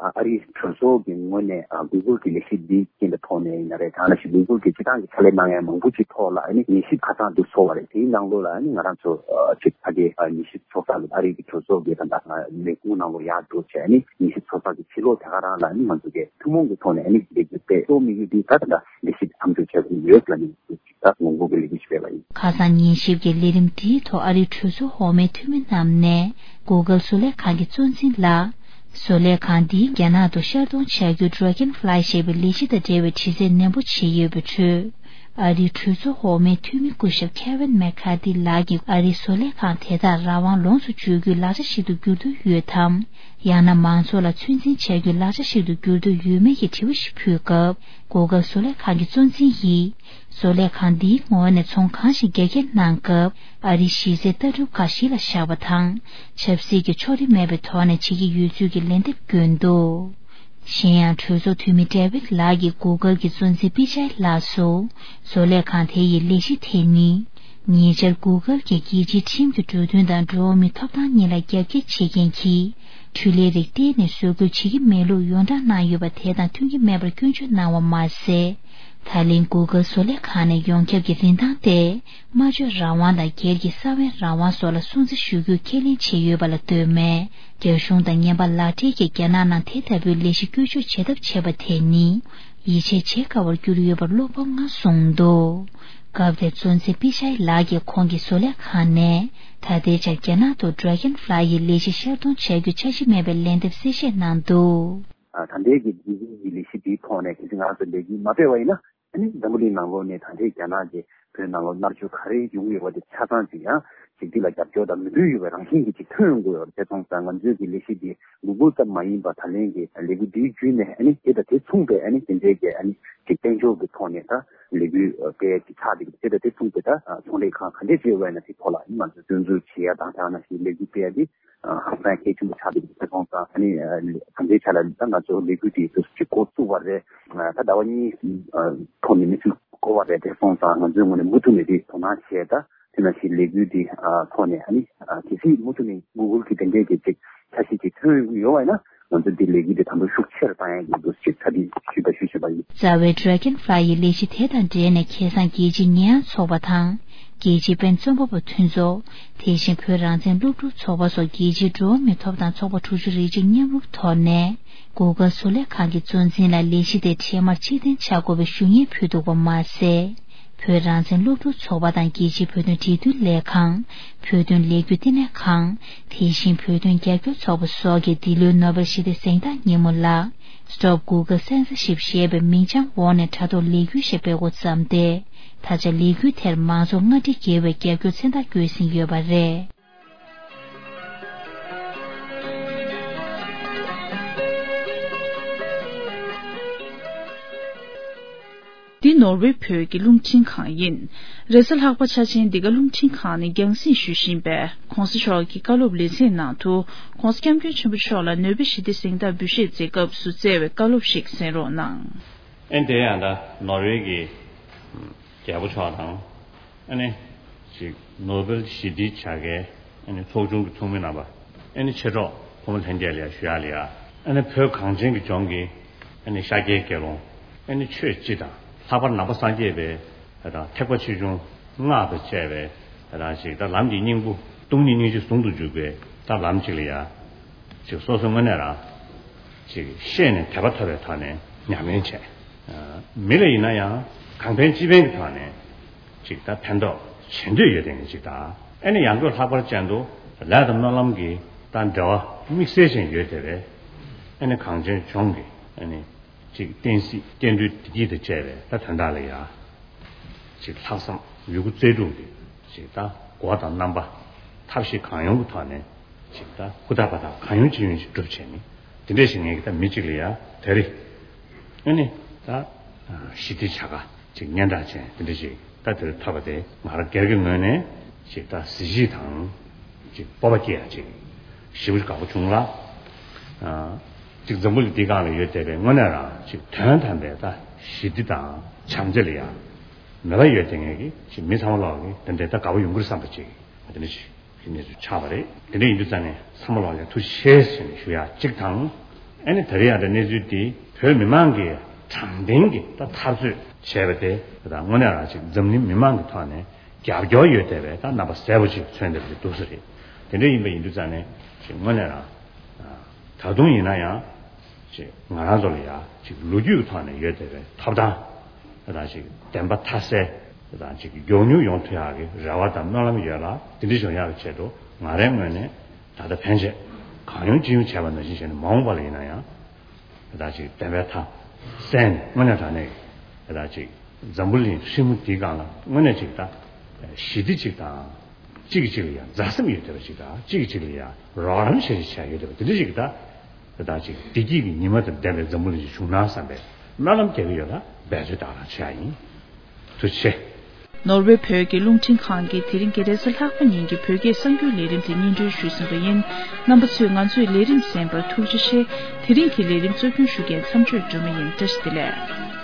ཨ་རིའི་གྲོས་ཚོགས་ཀྱི་ངོས་ནས་ཨ་Google་གི་ལས་གཞི་འདི་རྐྱེན་པའི་ཐོག་ནས་ཡིན་ན་རེད། ད་ནང་བཞིན་Google་གི་སྤྱི་བཏང་གི་ཕྱག་ལས་གནང་ཡ་མང་པོ་ཅིག་ཐོག་ལ་ཨ་ནི་ཉན་ཞིབ་ཁ་སང་འདུག་ཚོགས་པ་རེད། དེའི་ནང་ལོགས་ལ་ཨ་ནི་ང་རང་ཚོ་ཨ་ཅིག་ཕ་གིའི་ཨ་ཉན་ཞིབ་ཚོགས་ས་ལ་ཨ་རིའི་གི་གྲོས་ཚོགས་ཀྱི་ད་ལྟ་ལས་ཁུངས་ནང་ལོགས་ཡར་འགྲོ་བྱས་ཨ་ནི་ཉན་ཞིབ་ཚོགས་ས་གི་ཕྱི་ལོགས་དེ་ག་རང་ལ་ཨ་ནི་ང་ཚོ་གི་ཐུན་མོང་གི་ཐོག་ནས་ཨ་ནི་ལས་འགུལ་སྤེལ་གཏོང་དམིགས་ཡུལ་འདི་ད་ད་ལྟ་ལས་གཞི་མཚམས་འཇོག་བྱ་དགོས་ཡོད་ལ་ནི། ད་ངོ་རྒོལ་གྱི་ལས་འགུལ་ཞིག་སྤེལ་བ་ཡིན། ཁ་སང་ཉན་ཞིབ་ཀྱི་ལས་རིམ་དེའི་ཐོག་ཨ་རིའི་གྲོས་ཚོགས་འོག་མའི་འཐུས་མི་རྣམས་ནས་Google་བཟོ་ལས་ཁང་གི་གཙོ་འཛིན་ལ། བཟོ་ལས་ཁང་འདིས་རྒྱ་ནག་ཏུ་ཤར་གཏོང་བྱ་རྒྱུ་Dragonfly་ཞེས་པའི་ལས་གཞི་དང་འབྲེལ་བའི་དྲི་རྩད་ནན་པོ་བྱས་ཡོད་པའི་ཁྲོད། ཨ་རིའི་གྲོས་ཚོགས་འོག་མའི་འཐུས་མི་སྐུ་ཞབས་Kevin McCarthy་ལགས་ཀྱིས་ཨ་རིའི་བཟོ་ལས་ཁང་དེ་དག་རང་དབང་ལོངས་སུ་སྤྱོད་རྒྱུའི་ལག་ཆ་ཞིག་ཏུ་འགྱུར་འདོད་ཡོད་དམ། ཡང་ན་མང་ཚོགས་ལ་ཚོད་འཛིན་བྱ་རྒྱུའི་ལག་ཆ་ཞིག་ཏུ་འགྱུར་འདོད་ཡོད་མེད་ཀྱི་དྲི་བ་ཞིག་ཕུལ་སྐབས། Google་བཟོ་ལས་ཁང་གི་གཙོ་འཛིན་ཡིས། བཟོ་ལས་ཁང་འདིའི་ངོས་ནས་ཚོང་གང་ཞིག་རྒྱ་སྐྱེད་གནང་སྐབས། ཨ་རིའི་གཞི་རྩའི་ལྟ་གྲུབ་ཁག་གཞི་ལ་བཞག་པ་དང་། ཆབ་སྲིད་ཀྱི་ཕྱོགས་རིས་མེད་པའི་ཐོག་ནས་བྱེད་ཀྱི་ཡོད་ཚུལ་གྱི་ལན་འདེབས་བསྐྱོན་འདུག་གཞན་ཡང་གྲོས་ཚོགས་འཐུས་མི་David་ལགས་ཀྱིས་Google་གྱི་གཙོ་འཛིན་པི་ཅའི་ལགས་སུ། བཟོ་ལས་ཁང་དེ་ཡི་ལས་གཞི་དེ་ནི། ཉེ་ཆར་Google་གྱིས་རྒྱལ་སྤྱིའི་ཁྲིམས་ཀྱི་འགྲོ་དོན་དང་འགྲོ་བ་མིའི་ཐོབ་ཐང་གཉིས་ལ་རྒྱབ་འགལ་བྱེད་མཁན་གྱི། འཕྲུལ་ལས་རིགས་གཏན་ནས་བཟོ་བཀོད་བྱེད་ཀྱི་མེད་ལུགས་ཡོངས་བསྒྲགས་གནང་ཡོད་པ་དེ་དང་མཐུན་གྱི་མེད་པར་སྐྱོན་བརྗོད་གནང་བ་མ་ཟད། ད་ལན་Google་བཟོ་ལས་ཁང་ནས་ཡོངས་ཁྱབ་ཀྱི་རིན་ཐང་སྟེ། སྨྲ་བརྗོད་རང་དབང་དང་སྒེར་གྱི་ས་བོན་རང་དབང་སོགས་ལ་སྲུང་བརྩི་ཞུ་རྒྱུ་ཁས་ལེན་བྱས་ཡོད་པ་ལ་ལྟོས་མེད། རྒྱ་གཞུང་དང་ངན་པ་ལག་སྦྲེལ་གྱིས་རྒྱ་ནག་ནང་དེ་ལྟ་བུའི་ལས་གཞི་བཀོལ་སྤྱོད་བྱེད་ཐབས་བྱས་པ་དེ་ནི། ཡིད་ཆེས་བྱེད་དཀའ་བར་གྱུར་ཡོད་པར་བློ་ཕམ་ངང་གསུངས་འདུག་སྐབས་དེར་གཙོ་འཛིན་པི་ཤའི་ལགས་ཀྱིས་ཁོང་གི་བཟོ་ལས་ཁང་ནས་ད་ལྟའི་ཆར་རྒྱ་ནག་ཏུ་Dragonfly་ཡི་ལས་གཞི་ཤར་གཏོང་བྱ་རྒྱུ་འཆར་གཞི་མེད་པའི་ལན་འདེབས་གསལ་བཤད་གནང་འདུག་ད་ལྟའི་གི་ཇི་ཇི་ཡི་ལས་གཞི་དེའི་ཐོག་ནས་གལ་སྲིད་ང་རང་ཚོ་ལས་འགུལ་མ་སྤེལ་བ་ཡིན་ན། ཨ་ནི་འཛམ་བུ་གླིང་ནང་ལོགས་ནས་ད་ལྟའི་རྒྱ་ནག་གི་བོད་ནང་ལོགས་མནར་གཅོད་ག་རེ་ཡོང་གི་ཡོད་པ་དེ་ཆ་ཚང་ཅིག་ཡང་ཅིག་འདི་ལ་རྒྱབ་སྐྱོར་དང་མོས་མཐུན་ཡོད་པའི་རང་བཞིན་གྱི་ཅིག་ཐོན་ཡོང་གི་ཡོད་རེད། དེ་སོང་ཙང་ང་ཚོའི་གི་ལས་གཞི་འདི་Google་ཙམ་མ་ཡིན་པ་ད་ལན་གྱི་ལས་འགུལ་འདིའི་བརྒྱུད་ནས་ཨ་ནི་དེ་དང་དེ་མཚུངས་པའི་ཨ་ནི་དེ་འདྲའི་གི་ཨ་ནི་ཅིག་དཔལ་འབྱོར་གྱི་ཐོག་ནས་ད་ལས་འགུལ་སྤེལ་ཡ་ཅིག་ཆགས་བསྡད་ཀྱི་འདུག་དེ་དང་དེ་མཚུངས་པའི་ད་ཚོང་ལས་ཁང་ག་འདྲས་ཅིག་ཡོད་པ་ཡིན་ན་དེ་ཐོག་ལ་ཨ་ནི་ང་ཚོས་སྐྱོན་འཛུགས་བྱེད་ཡ་དང་དེ་ནང་བཞིན་ལས་འགུལ་སྤེལ་ཡ་འདི་ཧང་སང་གལ་ཆེན་པོ་ཆགས་བསྡད་ཀྱི་འདུག་དེ་སོང་ཙང་ཨ་ནི་ད་ལྟའི་ཆ་ལ་ད་ང་ཚོ་ལས་འགུལ་འདི་ཚོ་ཅིག་འགོ་བཙུགས་པ་རེད། ད་ཟླ་བ་གཉིས་ཐོག་ནས་མི་ཚེ་འགོར་བ་རེད། དེ་སོང་ཙང་ང་ཚོའི་ངོས་ནས་མུ་མཐུད་ནས་དེ་དོ་སྣང་བྱས། ད་དེ་ནང་བཞིན་ལས་འགུལ་འདི་ཐོག་ནས་ཨ་ནི་གལ་སྲིད་མུ་མཐུད་ནས་Google་གི་དེ་འདྲའི་གི་ཅིག་འཆར་གཞི་ཅིག་ཐོན་ཡོང་གི་ཡོད་པ་ཡིན་ན་ང་ཚོ་འདི་ལས་འགུལ་འདི་དམ་པོ་ཤུགས་ཆེ་རུ་བཏང་ཡག་གི་འདུག་ཅེས་གྲ་སྒྲིག་ཞུས་པ་ཞུ་བཞིན་པ་ཡིན། རྩ་བའི་Dragonfly་ཡི་ལས་གཞི་དེ་དང་འབྲེལ་ནས་ཁ་སང་རྒྱལ་སྤྱིའི་ཉེས་ཡངས་ཚོགས་པ་དང་། རྒྱལ་སྤྱིའི་པེན་རྩོམ་པ་པོ་མཐུན་ཚོགས། དེ་བཞིན་བོད་རང་བཙན་སློབ་ཕྲུག་ཚོགས་པ་སོགས་རྒྱལ་སྤྱིའི་འགྲོ་བ་མིའི་ཐོབ་ཐང་ཚོགས་པ་དྲུག་ཅུ་རེ་གཅིག་མཉམ་རུབ་ཐོག་ནས། Google་བཟོ་ལས་ཁང་གི་གཙོ་འཛིན་ལ་ལས་གཞི་དེ་འཕྲལ་མར་ཕྱིར་འཐེན་བྱ་དགོས་པའི་ཞུ་སྙན་ཕུལ་འདུག་པ་མ་ཟད། བོད་རང་བཙན་སློབ་ཕྲུག་ཚོགས་པ་དང་རྒྱལ་སྤྱིའི་བོད་དོན་འབྲེལ་མཐུད་ལས་ཁང་། བོད་དོན་ལས་འགུལ་ལྟེ་གནས་ཁང་། དེ་བཞིན་བོད་དོན་རྒྱབ་སྐྱོར་ཚོགས་པ་སོགས་ཀྱིས་འདི་ལོའི་ནོ་བེལ་ཞི་བདེ་གཟེངས་རྟགས་ཉིན་མོ་ལ། Stop Google Censorship་ཞེས་པའི་མིང་བྱང་འོག་ནས་དྲ་ཐོག་ལས་འགུལ་ཞིག་སྤེལ་འགོ་བརྩམས་ཏེ། ད་ཆ་ལས་འགུལ་དེར་མང་ཚོགས་ལྔ་ཁྲི་བརྒལ་བའི་རྒྱབ་སྐྱོར་མཚན་རྟགས་བཀོད་ཟིན་ཡོད་པ་རེད། འདི་ནོར་ཝེ་བོད་ཀྱི་རླུང་འཕྲིན་ཁང་ཡིན། རེས་གཟའ་ལྷག་པ་འཆར་ཅན་འདི་ག་རླུང་འཕྲིན་ཁང་ནས་རྒྱང་སྲིང་ཞུ་བཞིན་པའི་༸གོང་ས་མཆོག་གི་བཀའ་སློབ་ལེ་ཚན་ནང་དུ། ༸གོང་ས་༸སྐྱབས་མགོན་ཆེན་པོ་མཆོག་ལ་ནོ་བེལ་ཞི་བདེ་གཟེངས་རྟགས་འབུལ་བཞེས་མཛད་སྐབས་སུ་སྩལ་བའི་བཀའ་སློབ་ཞིག་གསན་རོགས་གནང་། ཨེ་དེ་ཡང་ད་ནོར་ཝེ་གི་རྒྱལ་པོ་མཆོག་དང་། ཨ་ནི་ཅིག་ནོ་བེལ་ཞི་བདེའི་བྱ་དགའི་ཨ་ནི་ཚོགས་ཆུང་གི་ཚོགས་མི་རྣམ་པ། ཨ་ནི་མཆེད་གྲོགས་ཕོ་མོ་ལྷན་རྒྱས་ལ་ཡང་ཞུ་ཡག་ལ་ཡ། ཨ་ནི་བོད་གངས་ཅན་གྱི་ལྗོངས་ཀྱི་ཨ་ནི་ཤཱཀྱའི་དགེ་སློང་། ཨ་ནི་ཆོས་སྤྱི་དང་ལྷག་པར་ནང་པ་སངས་རྒྱས་པའི་ད་ཐེག་པ་ཆེ་ཆུང་སྔགས་དང་བཅས་པའི་ད་ཅིག་ད་ལམ་གྱི་སྙིང་པོ་སྟོང་ཉིད་སྙིང་རྗེ་ཟུང་དུ་འཇུག་པའི་ད་ལམ་གཅིག་ལ་ཡ། ཅིག་སོ་སོ་དངོས་གནས་རང་ཅིག་ཤེས་ནས་དད་པ་ཐོབ་པའི་ཐོག་ནས་ཉམས་ལེན་བྱས། མི་ལ་ཡིན་ན་ཡང་གང་ཕན་ཅི་ཕན་གྱི་ཐོག་ནས་ཅིག་ད་ཕན་ཐོགས་བྱེད་འདོད་ཡོད་དེ་ངས་ཅིག་ད་ཨ་ནི་ཡང་སྒོས་ལྷག་པར་ཅན་དུ་ལས་དང་སྨོན་ལམ་གྱི་ད་འབྲེལ་བ་དམིགས་བསལ་ཅན་ཡོད་དེ་བས། ཨ་ནི་གངས་ཅན་ལྗོངས་ཀྱི་ཨ་ནི་ཅིག་བསྟན་སྲིད་སྐྱེ་འགྲོའི་བདེ་སྐྱིད་དང་བཅས་པའི་ད་དོན་དག་ལ་ཡ། ཅིག་ལྷག་བསམ་ཡོད་རྒུ་རྩལ་སྤྲུགས་ཀྱིས་ཅིག་ད་སྒོ་དང་རྣམ་པ་ཐབས་ཤེས་གང་ཡོང་གི་ཐོག་ནས་ཅིག་ད་ཧུར་ཐག་འབད་ཐག་གང་ཡོང་ཅི་ཡོང་ཅིག་སྒྲུབ་བྱས་ནས་དེ་འདྲས་ཞིག་ངས་ཀྱི་ད་མི་གཅིག་ལ་ཡ་དེ་རེད། ཨ་ནི་ད་ཞི་བདེ་བྱ་དགའ་ཅིག་སྙན་གྲགས་ཅན་དེ་འདྲས་ཞིག་ད་དེར་ཐོབ་པ་དེ་ང་རང་སྒེར་གྱི་ངོས་ནས་ཅིག་ད་གཟི་བརྗིད་དང་ཅིག་སྤོབས་པ་སྐྱེ་ཡ་ཅིག་ཞེ་པོ་ཅིག་དགའ་པོ་བྱུང་ལ། ཅིག་འཛམ་བུ་གླིང་འདི་སྒང་ལ་ཡོད་བསྡད་པའི་དངོས་གནས་རང་ཅིག་དོན་དམ་པའི་ད་ཞི་བདེ་དང་བྱམས་བརྩེ་ལ་ཡང་མོས་པ་ཡོད་བསྡད་མཁན་གྱི་ཅིག་མི་ཚང་མ་ལོག་གི་དེ་འདྲའི་ད་དགའ་པོ་ཡོང་གི་རེད་བསམ་པ་ཅིག་དེ་འདྲ་ཞིག་གི་གནས་ཚུལ་ཆགས་པ་རེད། དེ་འདྲ་ཡིན་དུས་ཙང་ནས་ཚང་མ་ལོག་ལ་ཡང་ཐུགས་རྗེ་ཆེ་ཟེར་ནས་ཞུ་ཡ་གཅིག་དང་། ཨ་ནི་ད་རེས་ཡང་ད་གནས་ཚུལ་འདི་བོད་མི་མང་གིས་དྲང་བདེན་གྱི་ད་འཐབ་རྩོད་བྱས་པ་དེ་ད་དངོས་གནས་རང་ཅིག་འཛམ་གླིང་མི་མང་གི་ཐོག་ནས་རྒྱབ་སྐྱོར་ཡོད་བསྡད་པའི་ད་རྣམ་པ་གསལ་པོ་ཅིག་མཚོན་བསྡད་པ་ཅིག་འདུག་ས་རེད། དེ་འདྲ་ཡིན་པ་ཡིན་དུས་ཙང་ནས་ཅིག་དངོས་གནས་རང་ད་དུང་ཡིན་ན་ཡང་ཅིག་ང་རང་ཚོ་ལ་ཡང་ཅིག་ལོ་རྒྱུས་ཀྱི་ཐོག་ནས་ཡོད་བསྡད་པའི་ཐོབ་ཐང་། དང་ཅིག་བདེན་པ་མཐའ་གསལ་དང་ཅིག་མགྱོགས་མྱུར་ཡོང་ཐུབ་ཡག་གི་རེ་བ་དང་སྨོན་ལམ་ཡོད་ལ། དེ་འདྲ་བྱུང་ཡག་གི་ཆེད་དུ་ང་རའི་ངོས་ནས་ད་ལྟ་ཕན་ཆད་གང་ཡོང་ཅི་ཡོང་བྱས་པ་ནང་བཞིན་བྱས་ནས་མ་འོངས་པ་ལ་ཡིན་ན་ཡང་ད་ཅིག་བདེན་པའི་མཐའ་གསལ་ནས་དངོས་གནས་དྲང་གནས་ཀྱི་ད་ཅིག་ འཛམ་བུ་གླིང་ཧྲིལ་མོ་འདིའི་སྒང་ལ་དངོས་གནས་ཅིག་ད་ཞི་བདེ་ཅིག་དང་། གཅིག་གིས་གཅིག་ལ་ཡང་མཛའ་སེམས་ཡོད་བསྡད་པ་ཅིག་དང་། གཅིག་གིས་གཅིག་ལ་ཡང་རོགས་རམ་བྱེད་བྱ་ཡོད་བསྡད་པ་དེ་འདྲ་ཅིག་ད། དེ་དག་ཅིག་བདེ་སྐྱིད་ཀྱི་ཉི་མ་དང་ལྡན་པའི་འཛམ་བུ་གླིང་ཅིག་བྱུང་ན་བསམ་པའི་སྨོན་ལམ་རྒྱག་གི་ཡོད་ལ། འབད་རྩོལ་དག་རང་བྱེད་ཡ་ཡིན། ཐུགས་རྗེ་ཆེ། ནོར་ཝེ་བོད་ཀྱི་རླུང་འཕྲིན་ཁང་གིས་དེ་རིང་གི་རེས་གཟའ་ལྷག་པ་ཉིན་གྱི་བོད་སྐད་གསར་འགྱུར་ལས་རིམ་དེ་སྙན་སྒྲོན་ཞུས་ཟིན་པ་ཡིན། རྣམ་པ་ཚོས་ང་ཚོའི་ལས་རིམ་གསན་པར་ཐུགས་རྗེ་ཆེ། དེ་རིང་གི་ལས་རིམ་གཙོ་སྐྱོང་ཞུ་མཁན་མཚམས་གཅོད་སྒྲོལ་མ་ཡིན། བཀྲ་ཤིས་བདེ་ལེགས།